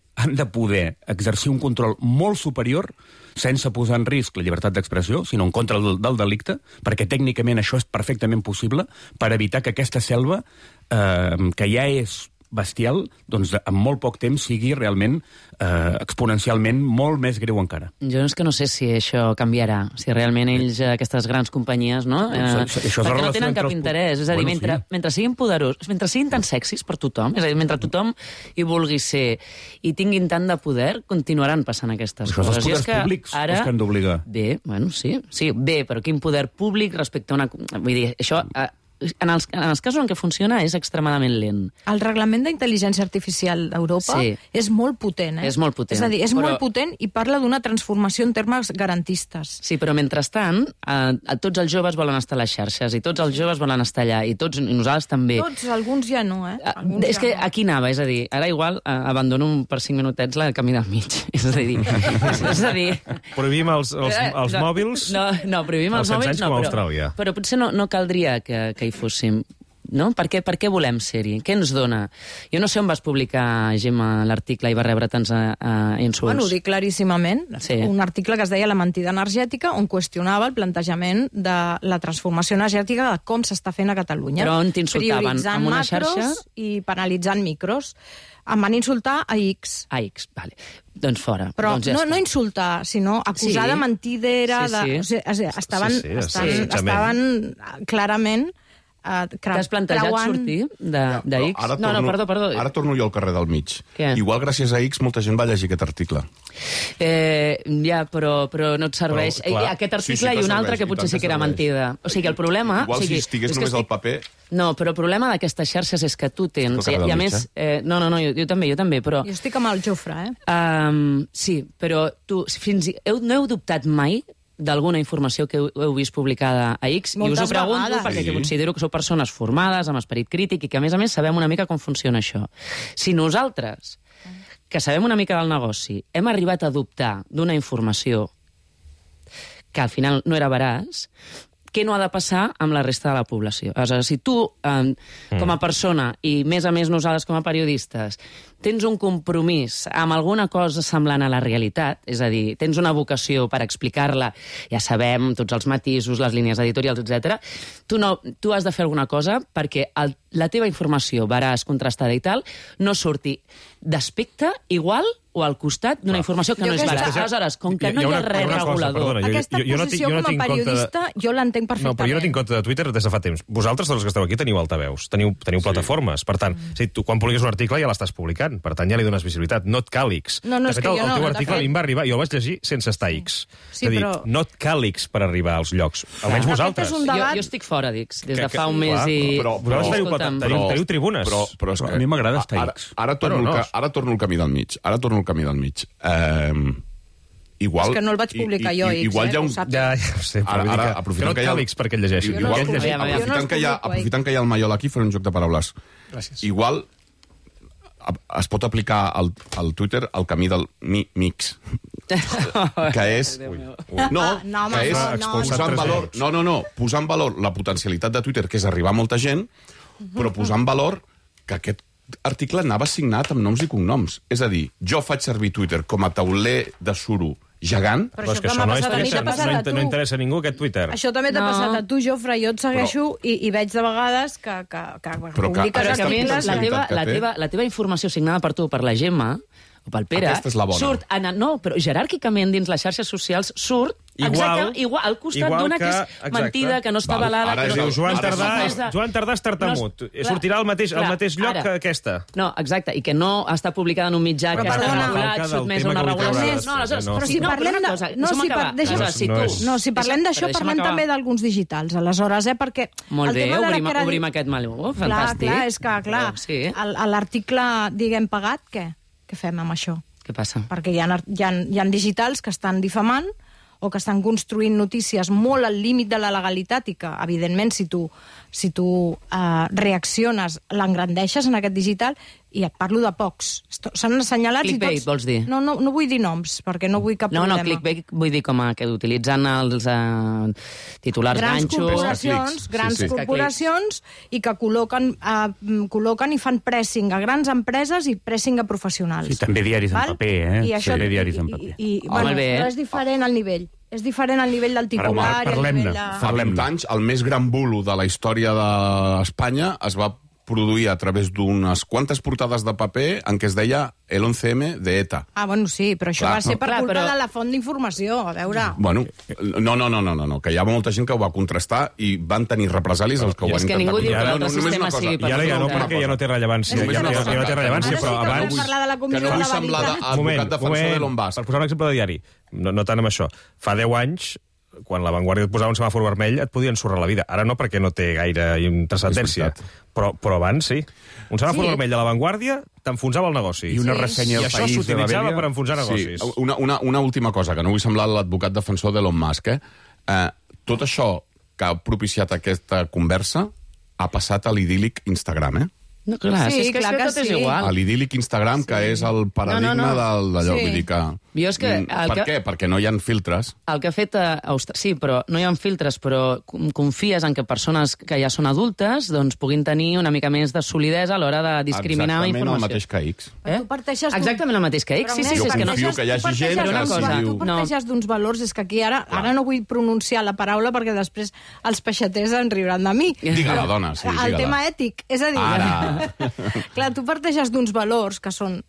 exercir un control molt superior sense posar en risc la llibertat d'expressió, sinó en contra del delicte, perquè tècnicament això és perfectament possible, per evitar que aquesta selva, que ja és bestial, doncs en molt poc temps sigui realment exponencialment molt més greu encara. Jo és que no sé si això canviarà, si realment ells, aquestes grans companyies, no? Perquè no tenen cap interès. És a dir, mentre siguin poderosos, mentre siguin tan sexis per tothom, és a dir, mentre tothom hi vulgui ser i tinguin tant de poder, continuaran passant aquestes coses. Això els poders públics els que han d'obligar. Bé, bueno, sí, però quin poder públic respecte a una... Vull dir, això... En els casos en què funciona és extremadament lent. El reglament d'intel·ligència artificial d'Europa és molt potent. És molt potent. És a dir, és molt potent i parla d'una transformació en termes garantistes. Sí, però mentrestant, tots els joves volen estar a les xarxes i tots els joves volen estar allà i nosaltres també. Tots, alguns ja no, És que aquí anava, és a dir, ara igual abandono per 5 minutets la camí del mig. És a dir... Prohibim els mòbils? No, prohibim els mòbils no, però potser no caldria que hi fóssim, no? Per què volem ser-hi? Què ens dona? Jo no sé on vas publicar, Gemma, l'article i va rebre tants insults. Bueno, ho dic claríssimament. Sí. Un article que es deia La mentida energètica, on qüestionava el plantejament de la transformació energètica de com s'està fent a Catalunya. Però on t'insultaven? En una xarxa? I penalitzant micros. Em van insultar a X. A X, vale. Doncs fora. Però doncs no insultar, sinó acusar de mentidera. Sí. Estaven clarament T'has plantejat sortir de X? Perdó. Ara torno jo al carrer del mig. Igual gràcies a X molta gent va llegir aquest article. Però no et serveix. Aquest article i un altre que potser sí que era mentida. O sigui, el problema... Igual si estigués només al paper... No, però el problema d'aquestes xarxes és que tu tens... I a més... No, jo també, però... Jo estic amb el Jofre, Sí, però tu no heu dubtat mai d'alguna informació que heu vist publicada a X, i us ho pregunto perquè considero que sou persones formades, amb esperit crític, i que, a més sabem una mica com funciona això. Si nosaltres, que sabem una mica del negoci, hem arribat a dubtar d'una informació que al final no era veraç, què no ha de passar amb la resta de la població? Aleshores, si tu, com a persona, i més a més nosaltres com a periodistes, tens un compromís amb alguna cosa semblant a la realitat, és a dir, tens una vocació per explicar-la, ja sabem, tots els matisos, les línies editorials, etc. Tu has de fer alguna cosa perquè la teva informació, veraç, contrastada i tal, no surti d'aspecte igual o al costat d'una informació que no és veraç. Aleshores, com que no hi ha res regulador... Aquesta posició com a periodista jo l'entenc perfectament. No, però jo no tinc compte de Twitter des de fa temps. Vosaltres, tots els que esteu aquí, teniu altaveus, teniu plataformes. Per tant, tu quan publiques un article ja l'estàs publicant. Per tant, ja li dones visibilitat. No et cal X. De fet, el teu article a mi em va arribar, jo el vaig llegir sense estar X. És a dir, no et cal X per arribar als llocs. Almenys vosaltres. Jo estic fora d'X des de fa un mes i... Però teniu tribunes. Però a mi m'agrada estar X. Ara torno al camí del mig. Igual, és que no el vaig publicar jo, X, igual ho saps. Ja ho sé, però aprofitant que no et cal X perquè el llegeixi. Aprofitant que hi ha el Maiol aquí, faré un joc de paraules. Gràcies. Igual es pot aplicar al Twitter el camí del mix. Que és... posar en valor la potencialitat de Twitter, que és arribar a molta gent, però posar en valor que aquest article anava signat amb noms i cognoms. És a dir, jo faig servir Twitter com a tauler de suro gegant... Però és que això no interessa a ningú, aquest Twitter. Això també t'ha passat a tu, Jofre. Jo et segueixo i veig de vegades que publiques articles... La teva informació signada per tu, per la Gemma, o pel Pere, surt... No, però jeràrquicament dins les xarxes socials surt igual al costat d'una que és mentida, que no està avalada... Ara es diu Joan Tardà és tartamut. Sortirà al mateix lloc que aquesta. No, exacte, i que no està publicada en un mitjà que està regulat, sotmès a una regulació... Però si parlem d'això, parlem també d'alguns digitals, aleshores, perquè... Molt bé, obrim aquest meló, fantàstic. Clar, és que, l'article, diguem, pagat, què? Què fem amb això? Què passa? Perquè hi ha digitals que estan difamant o que estan construint notícies molt al límit de la legalitat i que, evidentment, si tu reacciones, l'engrandeixes en aquest digital, i et parlo de pocs. S'han assenyalat... Clickbait, vols dir? No vull dir noms, perquè no vull cap problema. No, clickbait vull dir com que utilitzen els titulars ganxos... Grans corporacions i que col·loquen i fan pressing a grans empreses i pressing a professionals. Sí, també diaris en paper, També diaris en paper. Però és diferent al nivell. És diferent al nivell del titular i al nivell de... Fa 20 anys, el més gran bulo de la història d'Espanya es va produir a través d'unes quantes portades de paper en què es deia el 11M de ETA. Bueno, sí, però això va ser per culpa de la font d'informació, a veure... Bueno, no, que hi ha molta gent que ho va contrastar i van tenir represàlies els que ho van intentar. És que ningú diu que l'altre sistema sigui per... I ara ja no, perquè ja no té rellevància. Ja no té rellevància, però abans... Que no vull semblar advocat defensor de l'on vas. Per posar un exemple de diari, no tant amb això. Fa 10 anys, quan La Vanguardia et posava un semàfor vermell, et podien ensorrar la vida. Ara no, perquè no té gaire transcendència. Però abans sí. Un semàfor vermell de La Vanguardia t'enfonsava el negoci. I una ressenya al País. I això s'utilitzava per enfonsar negocis. Una última cosa, que no vull semblar l'advocat defensor d'Elon Musk. Tot això que ha propiciat aquesta conversa ha passat a l'idíl·lic Instagram, No, clar, és que tot és igual. A l'idíl·lic Instagram, que és el paradigma d'allò. Vull dir que... Per què? Perquè no hi ha filtres. El que ha fet sí, però no hi ha filtres, però confies en que persones que ja són adultes doncs puguin tenir una mica més de solidesa a l'hora de discriminar informació. Exactament el mateix que X. Exactament el mateix que X. Sí, jo confio que hi hagi gent que tu parteixes d'uns valors, és que aquí ara no vull pronunciar la paraula perquè després els peixaters en riuran de mi. Digue-la, dona. El tema ètic, és a dir... Clar, tu parteixes d'uns valors que són...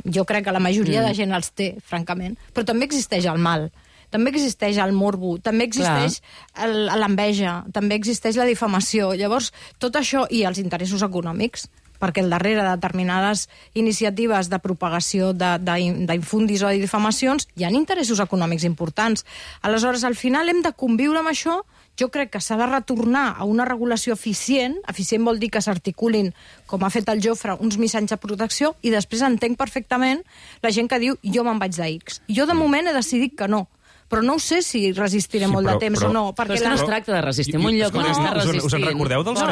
Jo crec que la majoria de gent els té, francament, però també existeix el mal. també existeix el morbo, també existeix l'enveja, també existeix la difamació. Llavors, tot això i els interessos econòmics, perquè al darrere de determinades iniciatives de propagació d'infundis o de difamacions hi ha interessos econòmics importants. Aleshores, al final hem de conviure amb això. Jo crec que s'ha de retornar a una regulació eficient. Eficient vol dir que s'articulin, com ha fet el Jofre, uns mitjans de protecció, i després entenc perfectament la gent que diu jo me'n vaig d'X. Jo de moment he decidit que no. Però no ho sé si resistiré molt de temps o no. Però és que no es tracta de resistir en un lloc on està resistint. Us en recordeu dels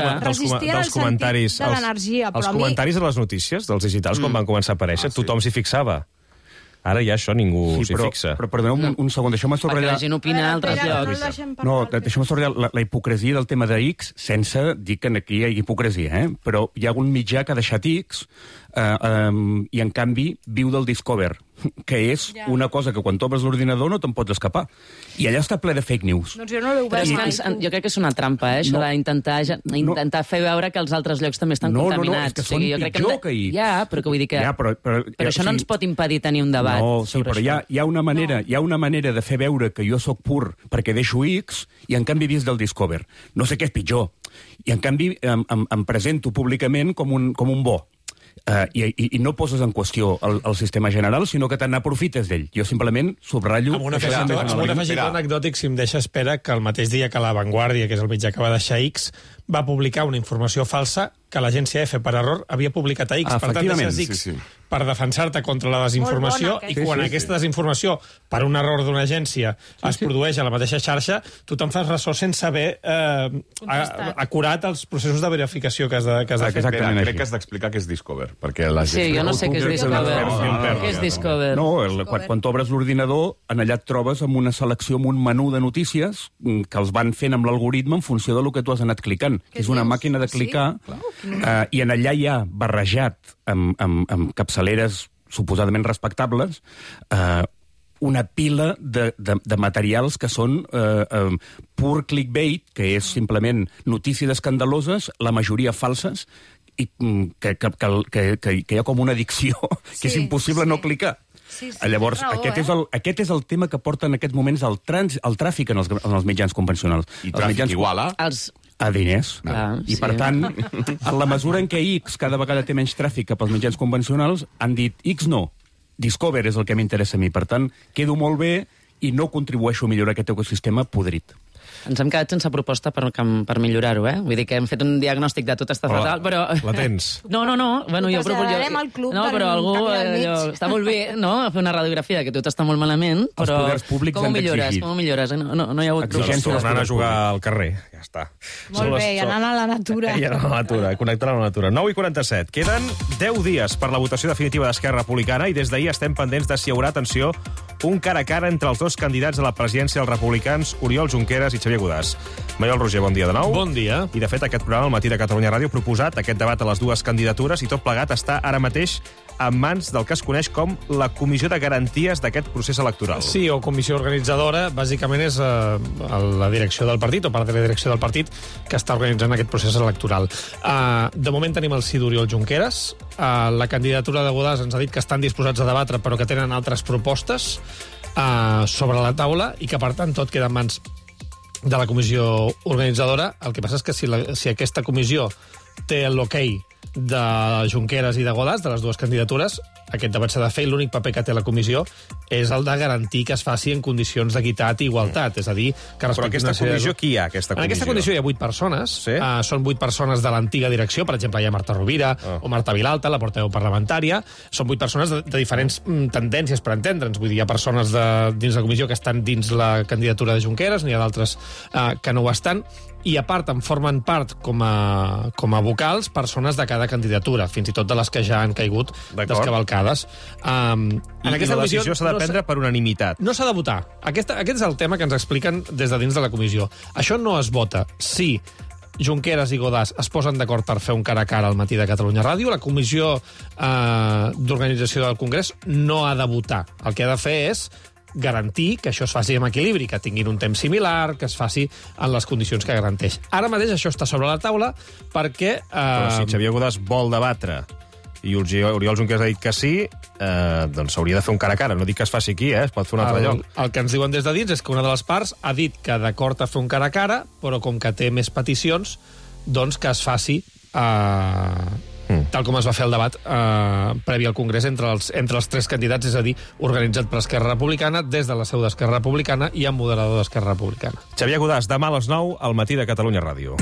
comentaris? De l'energia, els comentaris de les notícies, dels digitals, quan van començar a aparèixer, tothom s'hi fixava. Ara ja això ningú s'hi fixa. Però perdoneu un segon, deixeu-me subratllar... Perquè la gent opina a altres llocs. No, deixeu-me subratllar la hipocresia del tema de X, sense dir que aquí hi ha hipocresia, però hi ha un mitjà que ha deixat X i, en canvi, viu del Discover, que és una cosa que quan t'obres l'ordinador no te'n pots escapar. I allà està ple de fake news. Doncs jo no l'he obert. Jo crec que és una trampa, això d'intentar fer veure que els altres llocs també estan contaminats. No, és que són pitjor que X. Ja, però que vull dir que... Però això no ens pot impedir tenir un debat. No, sí, però hi ha una manera de fer veure que jo sóc pur perquè deixo X i en canvi vist del Discover. No sé què és pitjor. I en canvi em presento públicament com un bo. I no poses en qüestió el sistema general, sinó que te n'aprofites d'ell. Jo simplement subratllo... Amb un afegitó anecdòtic, si em deixa, espera que el mateix dia que La Vanguardia, que és el mitjà que va deixar X, va publicar una informació falsa que l'agència EFE, per error, havia publicat a X. Per tant, deixes X per defensar-te contra la desinformació, i quan aquesta desinformació, per un error d'una agència, es produeix a la mateixa xarxa, tu te'n fas ressò sense haver acurat els processos de verificació que has de fer. Crec que has d'explicar què és Discover. Sí, jo no sé què és Discover. Què és Discover? No, quan t'obres l'ordinador, en allà et trobes amb una selecció, amb un menú de notícies que els van fent amb l'algoritme en funció del que tu has anat clicant. És una màquina de clicar, i en allà hi ha barrejat amb capçaleres suposadament respectables una pila de materials que són pur clickbait, que és simplement notícies escandaloses, la majoria falses, i que hi ha com una addicció que és impossible no clicar. Llavors, aquest és el tema que porta en aquests moments el tràfic en els mitjans convencionals. I tràfic igual a diners. I, per tant, en la mesura en què X cada vegada té menys tràfic cap als mitjans convencionals, han dit X no, Discover és el que m'interessa a mi. Per tant, quedo molt bé i no contribueixo a millorar aquest ecosistema podrit. Ens hem quedat sense proposta per millorar-ho, Vull dir que hem fet un diagnòstic de tot està fatal, però... La tens? No. Bueno, jo traslladarem al club però algú... Està molt bé, no?, fer una radiografia que tot està molt malament, però... Els poders públics han d'exigir. Com ho millores? No hi ha hagut... Tornant a jugar al carrer, ja està. Molt bé, i anant a la natura. I anant a la natura, connectant a la natura. 9:47. Queden 10 dies per la votació definitiva d'Esquerra Republicana i des d'ahir estem pendents de si hi haurà, atenció, un cara a cara entre els dos candidats a la presidència dels republicans, Oriol Junqueras i Xavier Godàs. Maiol Roger, bon dia de nou. Bon dia. I, de fet, aquest programa, al Matí de Catalunya Ràdio, ha proposat aquest debat a les dues candidatures i tot plegat està ara mateix en mans del que es coneix com la Comissió de Garanties d'aquest procés electoral. Sí, o comissió organitzadora, bàsicament és la direcció del partit, o part de la direcció del partit, que està organitzant aquest procés electoral. De moment tenim el sí d'Oriol Junqueras. La candidatura de Godàs ens ha dit que estan disposats a debatre, però que tenen altres propostes sobre la taula i que, per tant, tot queda en mans de la comissió organitzadora. El que passa és que si aquesta comissió té l'okei de Junqueras i de Godàs, de les dues candidatures, aquest debat s'ha de fer i l'únic paper que té la comissió és el de garantir que es faci en condicions d'equitat i igualtat. És a dir, que però aquesta comissió, qui hi ha, aquesta comissió? En aquesta comissió hi ha 8 persones. Sí? Són 8 persones de l'antiga direcció. Per exemple, hi ha Marta Rovira o Marta Vilalta, la portaveu parlamentària. Són 8 persones de diferents tendències, per entendre'ns. Vull dir, hi ha persones dins la comissió que estan dins la candidatura de Junqueras, n'hi ha d'altres que no ho estan. I, a part, en formen part com a vocals persones de cada candidatura, fins i tot de les que ja han caigut descavalcades. I la decisió s'ha de prendre per unanimitat. No s'ha de votar. Aquest és el tema que ens expliquen des de dins de la comissió. Això no es vota. Si Junqueras i Godàs es posen d'acord per fer un cara a cara al Matí de Catalunya Ràdio, la comissió d'organització del Congrés no ha de votar. El que ha de fer és garantir que això es faci amb equilibri, que tinguin un temps similar, que es faci en les condicions que garanteix. Ara mateix això està sobre la taula perquè... Però si Xavier Godàs vol debatre i Oriol Junqueras ha dit que sí, doncs s'hauria de fer un cara a cara. No dic que es faci aquí, es pot fer un altre lloc. El que ens diuen des de dins és que una de les parts ha dit que d'acord a fer un cara a cara, però com que té més peticions, doncs que es faci tal com es va fer el debat previ al Congrés entre els tres candidats, és a dir, organitzat per Esquerra Republicana, des de la seu d'Esquerra Republicana i amb moderador d'Esquerra Republicana. Xavier Godàs, demà a les 9 al Matí de Catalunya Ràdio.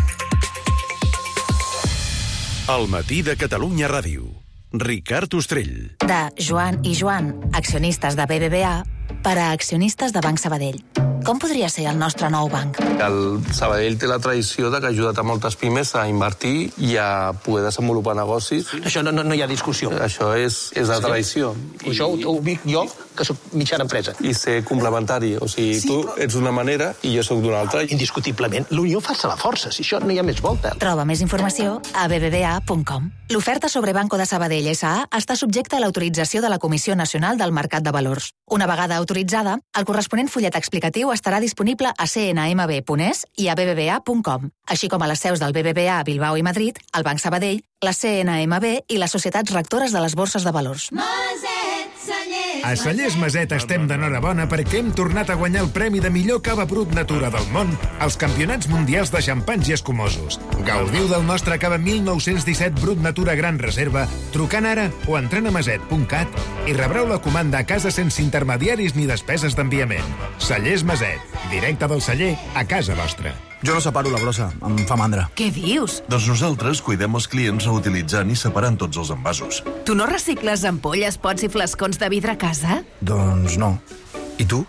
El Matí de Catalunya Ràdio. Ricard Ostrell. De Joan i Joan, accionistes de BBVA, per a accionistes de Banc Sabadell. Com podria ser el nostre nou banc? El Sabadell té la tradició de que ha ajudat a moltes pimes a invertir i a poder desenvolupar negocis. Això no hi ha discussió. Això és la tradició. Això ho dic jo, que soc mitjana empresa. I ser complementari. O sigui, tu ets d'una manera i jo soc d'una altra. Indiscutiblement, l'unió fa la força, si això no hi ha més volta. Troba més informació a bbva.com. L'oferta sobre Banco de Sabadell S.A. està subjecta a l'autorització de la Comissió Nacional del Mercat de Valors. Una vegada autoritzada, el corresponent fullet explicatiu estarà disponible a cnmb.es i a bbva.com, així com a les seus del BBVA a Bilbao i Madrid, el Banc Sabadell, la CNMB i les societats rectores de les borses de valors. A Cellers Maset estem d'enhorabona perquè hem tornat a guanyar el premi de millor cava brut natura del món als Campionats Mundials de Xampans i Escumosos. Gaudiu del nostre cava 1917 brut natura gran reserva trucant ara o entrant a maset.cat i rebreu la comanda a casa sense intermediaris ni despeses d'enviament. Cellers Maset, directe del celler a casa vostra. Jo no separo la brossa, em fa mandra. Què dius? Doncs nosaltres cuidem els clients reutilitzant i separant tots els envasos. Tu no recicles ampolles, pots i flascons de vidre a casa? Doncs no. I tu?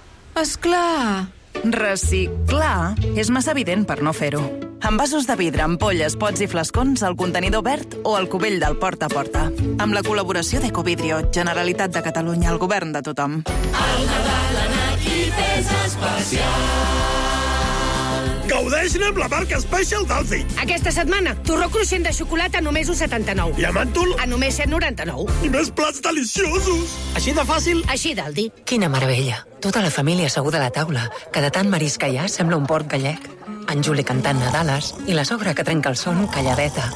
Esclar! Reciclar és massa evident per no fer-ho. Envasos de vidre, ampolles, pots i flascons al contenidor verd o al cubell del porta a porta. Amb la col·laboració d'Ecovidrio, Generalitat de Catalunya, el govern de tothom. El Nadal en equip és especial. Gaudeixin amb la marca Special d'Aldi. Aquesta setmana, torró cruixent de xocolata a només 1,79. I a màntol? A només 7,99. I més plats deliciosos. Així de fàcil? Així d'Aldi. Quina meravella. Tota la família asseguda a la taula, que de tant marisc que hi ha sembla un port gallec. En Juli cantant Nadales i la sogra que trenca el son calladeta.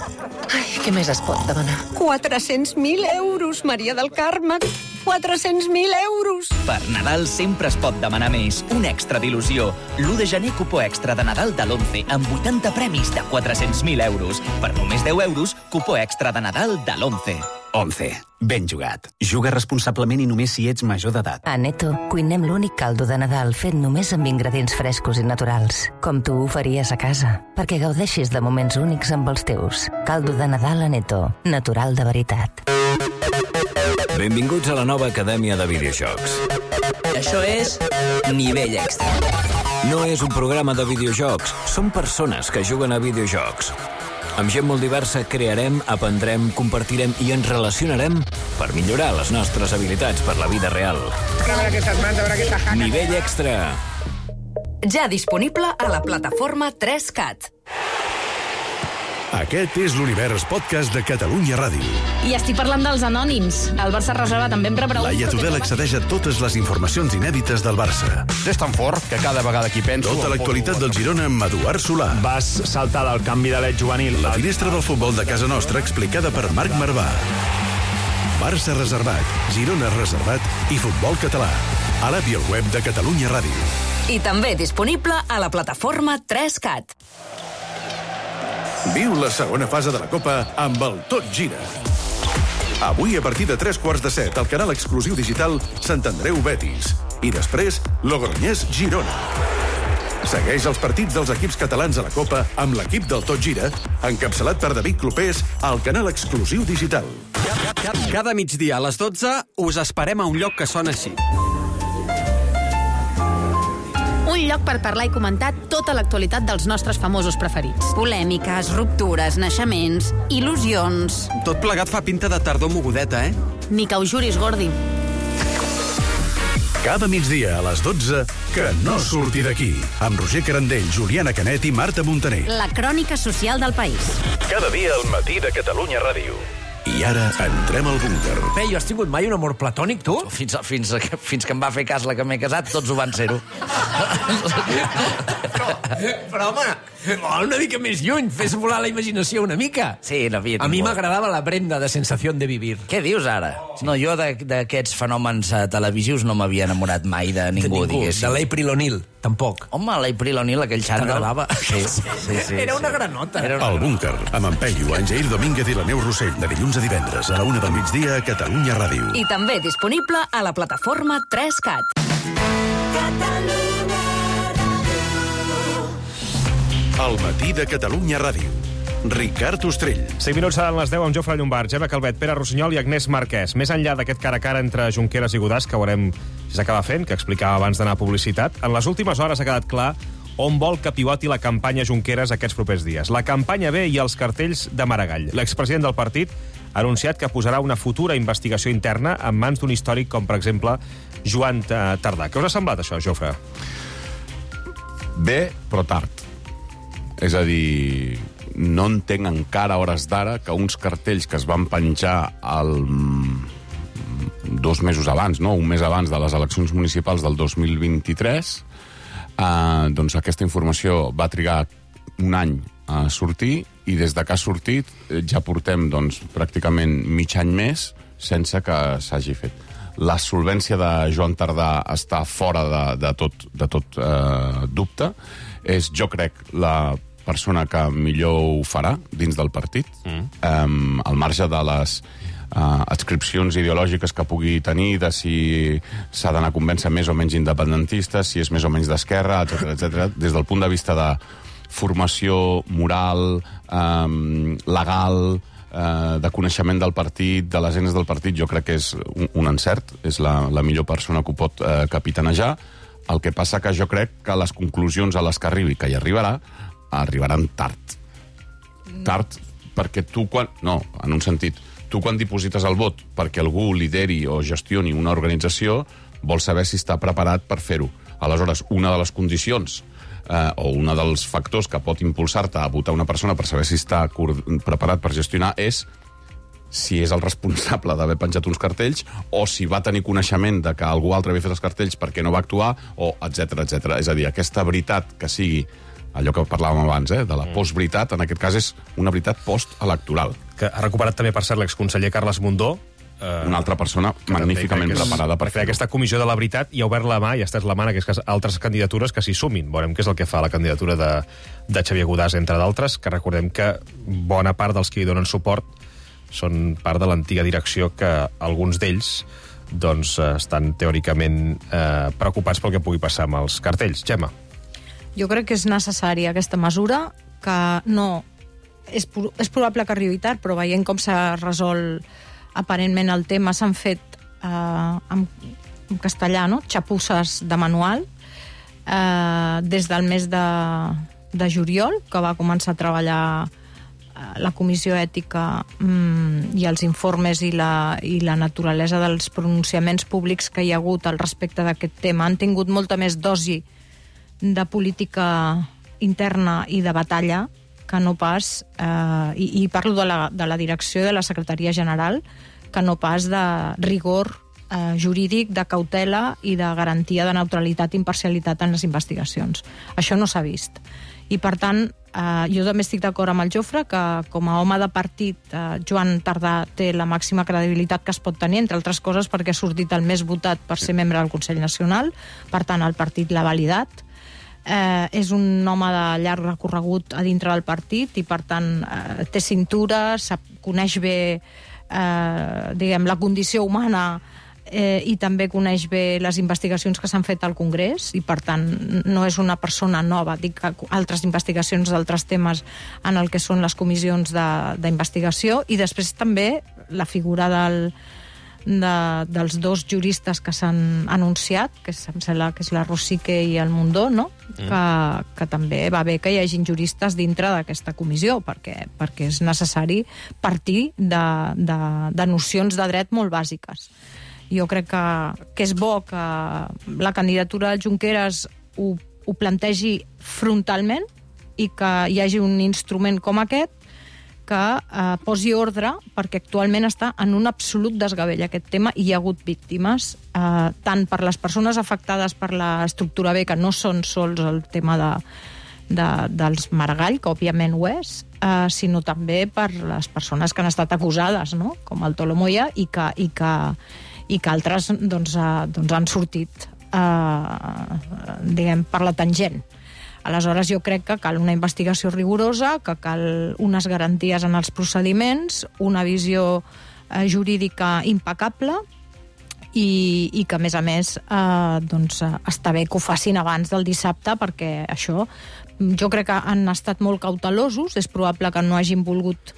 Ai, què més es pot demanar? 400.000 euros, Maria del Carme. 400.000 euros. Per Nadal sempre es pot demanar més. Un extra d'il·lusió. L'1 de gener cupó extra de Nadal de l'11 amb 80 premis de 400.000 euros. Per només 10 euros, cupó extra de Nadal de l'11. 11. Ben jugat. Juga responsablement i només si ets major d'edat. A Neto cuinem l'únic caldo de Nadal fet només amb ingredients frescos i naturals, com tu ho faries a casa, perquè gaudeixis de moments únics amb els teus. Caldo de Nadal a Neto, natural de veritat. Benvinguts a la nova Acadèmia de Videojocs. Això és Nivell Extra. No és un programa de videojocs, són persones que juguen a videojocs. Amb gent molt diversa crearem, aprendrem, compartirem i ens relacionarem per millorar les nostres habilitats per la vida real. Nivell Extra. Ja disponible a la plataforma 3CAT. Aquest és l'Univers Podcast de Catalunya Ràdio. I estic parlant dels anònims. El Barça reserva també em rebrà... Laia Tudel accedeix a totes les informacions inèdites del Barça. És tan fort que cada vegada que hi penso... Tota l'actualitat del Girona amb Eduard Solà. Vas saltar del canvi de l'et juvenil. La finestra del futbol de casa nostra explicada per Marc Marvà. Barça reservat, Girona reservat i futbol català. A l'app i al web de Catalunya Ràdio. I també disponible a la plataforma 3CAT. Viu la segona fase de la Copa amb el Tot Gira. Avui, a partir de 7:15, al canal exclusiu digital Sant Andreu Betis. I després, Logroñés Girona. Segueix els partits dels equips catalans a la Copa amb l'equip del Tot Gira, encapçalat per David Clopés, al canal exclusiu digital. Cada migdia a les 12 us esperem a un lloc que sona així. Un lloc per parlar i comentar tota l'actualitat dels nostres famosos preferits. Polèmiques, ruptures, naixements, il·lusions... Tot plegat fa pinta de tardor mogudeta, eh? Ni que ho juris, Gordi. Cada migdia a les 12, que no surti d'aquí. Amb Roger Carandell, Juliana Canet i Marta Montaner. La crònica social del país. Cada dia al matí de Catalunya Ràdio. I ara entrem al búnquer. Jo has tingut mai un amor platònic, tu? Fins que em va fer cas la que m'he casat, tots ho van ser-ho. Però home, Una mica més lluny, fes volar la imaginació una mica. Sí, l'havia tingut. A mi m'agradava la Brenda de Sensación de Vivir. Què dius ara? No, jo d'aquests fenòmens televisius no m'havia enamorat mai de ningú, diguéssim. De l'April O'Neil, tampoc. Home, l'April O'Neil, aquell xandall. T'agradava? Sí. Era una granota. El Búnquer, amb en Peyu, en Jair Domínguez i la Neus Rossell, de dilluns a divendres a la 1 del migdia a Catalunya Ràdio. I també disponible a la plataforma 3CAT. El matí de Catalunya Ràdio. Ricard Ostrell. 5 minuts seran les 10 amb Jofre Llombard, Gemma Calvet, Pere Rossinyol i Agnès Marquès. Més enllà d'aquest cara a cara entre Junqueras i Godàs, que veurem si s'acaba fent, que explicava abans d'anar a publicitat, en les últimes hores ha quedat clar on vol que pivoti la campanya Junqueras aquests propers dies. La campanya B i els cartells de Maragall. L'expresident del partit ha anunciat que posarà una futura investigació interna en mans d'un històric com, per exemple, Joan Tardà. Què us ha semblat, això, Jofre? Bé, però tard. És a dir, no entenc encara a hores d'ara que uns cartells que es van penjar 2 mesos abans, no? Un mes abans de les eleccions municipals del 2023, doncs aquesta informació va trigar un any a sortir i des de que ha sortit ja portem doncs, pràcticament mig any més sense que s'hagi fet. La solvència de Joan Tardà està fora de tot dubte. És, jo crec, la persona que millor ho farà dins del partit, al marge de les adscripcions ideològiques que pugui tenir, de si s'ha d'anar a convèncer més o menys independentistes, si és més o menys d'esquerra, etc. Des del punt de vista de formació moral, legal, de coneixement del partit, de les eines del partit, jo crec que és un encert, és la millor persona que ho pot capitanejar. El que passa que jo crec que les conclusions a les que arribi, que hi arribaran tard. Tard perquè tu quan... No, en un sentit, tu quan diposites el vot perquè algú lideri o gestioni una organització, vols saber si està preparat per fer-ho. Aleshores, una de les condicions o un dels factors que pot impulsar-te a votar una persona per saber si està preparat per gestionar és si és el responsable d'haver penjat uns cartells o si va tenir coneixement de que algú altre havia fet els cartells perquè no va actuar, o etc. És a dir, aquesta veritat que sigui allò que parlàvem abans, de la postveritat, en aquest cas és una veritat postelectoral. Que ha recuperat també, per cert, l'exconseller Carles Mundó, una altra persona magníficament preparada per fer aquesta comissió de la veritat, i ha obert la mà, i està la mà en aquest cas, altres candidatures que s'hi sumin. Veurem què és el que fa la candidatura de Xavier Godàs, entre d'altres, que recordem que bona part dels que hi donen suport són part de l'antiga direcció, que alguns d'ells doncs, estan teòricament preocupats pel que pugui passar amb els cartells. Gemma. Jo crec que és necessària aquesta mesura, que no... És probable que arribi tard, però veient com s'ha resolt aparentment el tema, s'han fet en castellà, no? Xapusses de manual des del mes de juliol, que va començar a treballar la comissió ètica i els informes i la naturalesa dels pronunciaments públics que hi ha hagut al respecte d'aquest tema. Han tingut molta més dosi de política interna i de batalla que no pas, i parlo de la direcció de la Secretaria General, que no pas de rigor jurídic, de cautela i de garantia de neutralitat i imparcialitat en les investigacions. Això no s'ha vist. I, per tant, jo també estic d'acord amb el Jofre que, com a home de partit, Joan Tardà té la màxima credibilitat que es pot tenir, entre altres coses perquè ha sortit el més votat per ser membre del Consell Nacional, per tant, el partit l'ha validat. És un home de llarg recorregut a dintre del partit i, per tant, té cintura, coneix bé la condició humana i també coneix bé les investigacions que s'han fet al Congrés i, per tant, no és una persona nova. Dic que altres investigacions d'altres temes en el que són les comissions d'investigació, i després també la figura dels dos juristes que s'han anunciat, que em sembla que és la Rosique i el Mundó, no? Que també va bé que hi hagin juristes dintre d'aquesta comissió, perquè és necessari partir de nocions de dret molt bàsiques. Jo crec que és bo que la candidatura de Junqueras ho plantegi frontalment i que hi hagi un instrument com aquest que posi ordre, perquè actualment està en un absolut desgavell aquest tema i hi ha hagut víctimes, tant per les persones afectades per l'estructura B, que no són sols el tema dels Maragall, que òbviament ho és, sinó també per les persones que han estat acusades, no? Com el Tolo Moya, i que altres doncs, han sortit diguem, per la tangent. Aleshores, jo crec que cal una investigació rigorosa, que cal unes garanties en els procediments, una visió jurídica impecable i que, a més, doncs, està bé que ho facin abans del dissabte, perquè això, jo crec que han estat molt cautelosos, és probable que no hagin volgut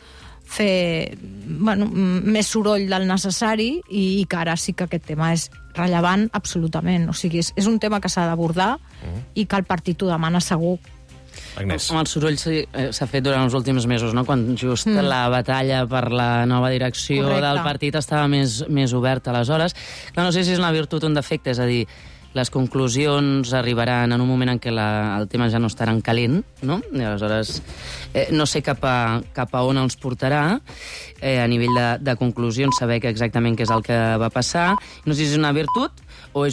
fer més soroll del necessari i que ara sí que aquest tema és rellevant absolutament. O sigui, és un tema que s'ha d'abordar i que el partit ho demana segur. Agnès. El soroll s'ha fet durant els últims mesos, no? Quan just la batalla per la nova direcció del partit estava més oberta aleshores. No sé si és una virtut o un defecte, és a dir, les conclusions arribaran en un moment en què el tema ja no estarà en calent, no? I aleshores no sé cap a on els portarà a nivell de conclusions, saber exactament què és el que va passar. No sé si és una virtut o és un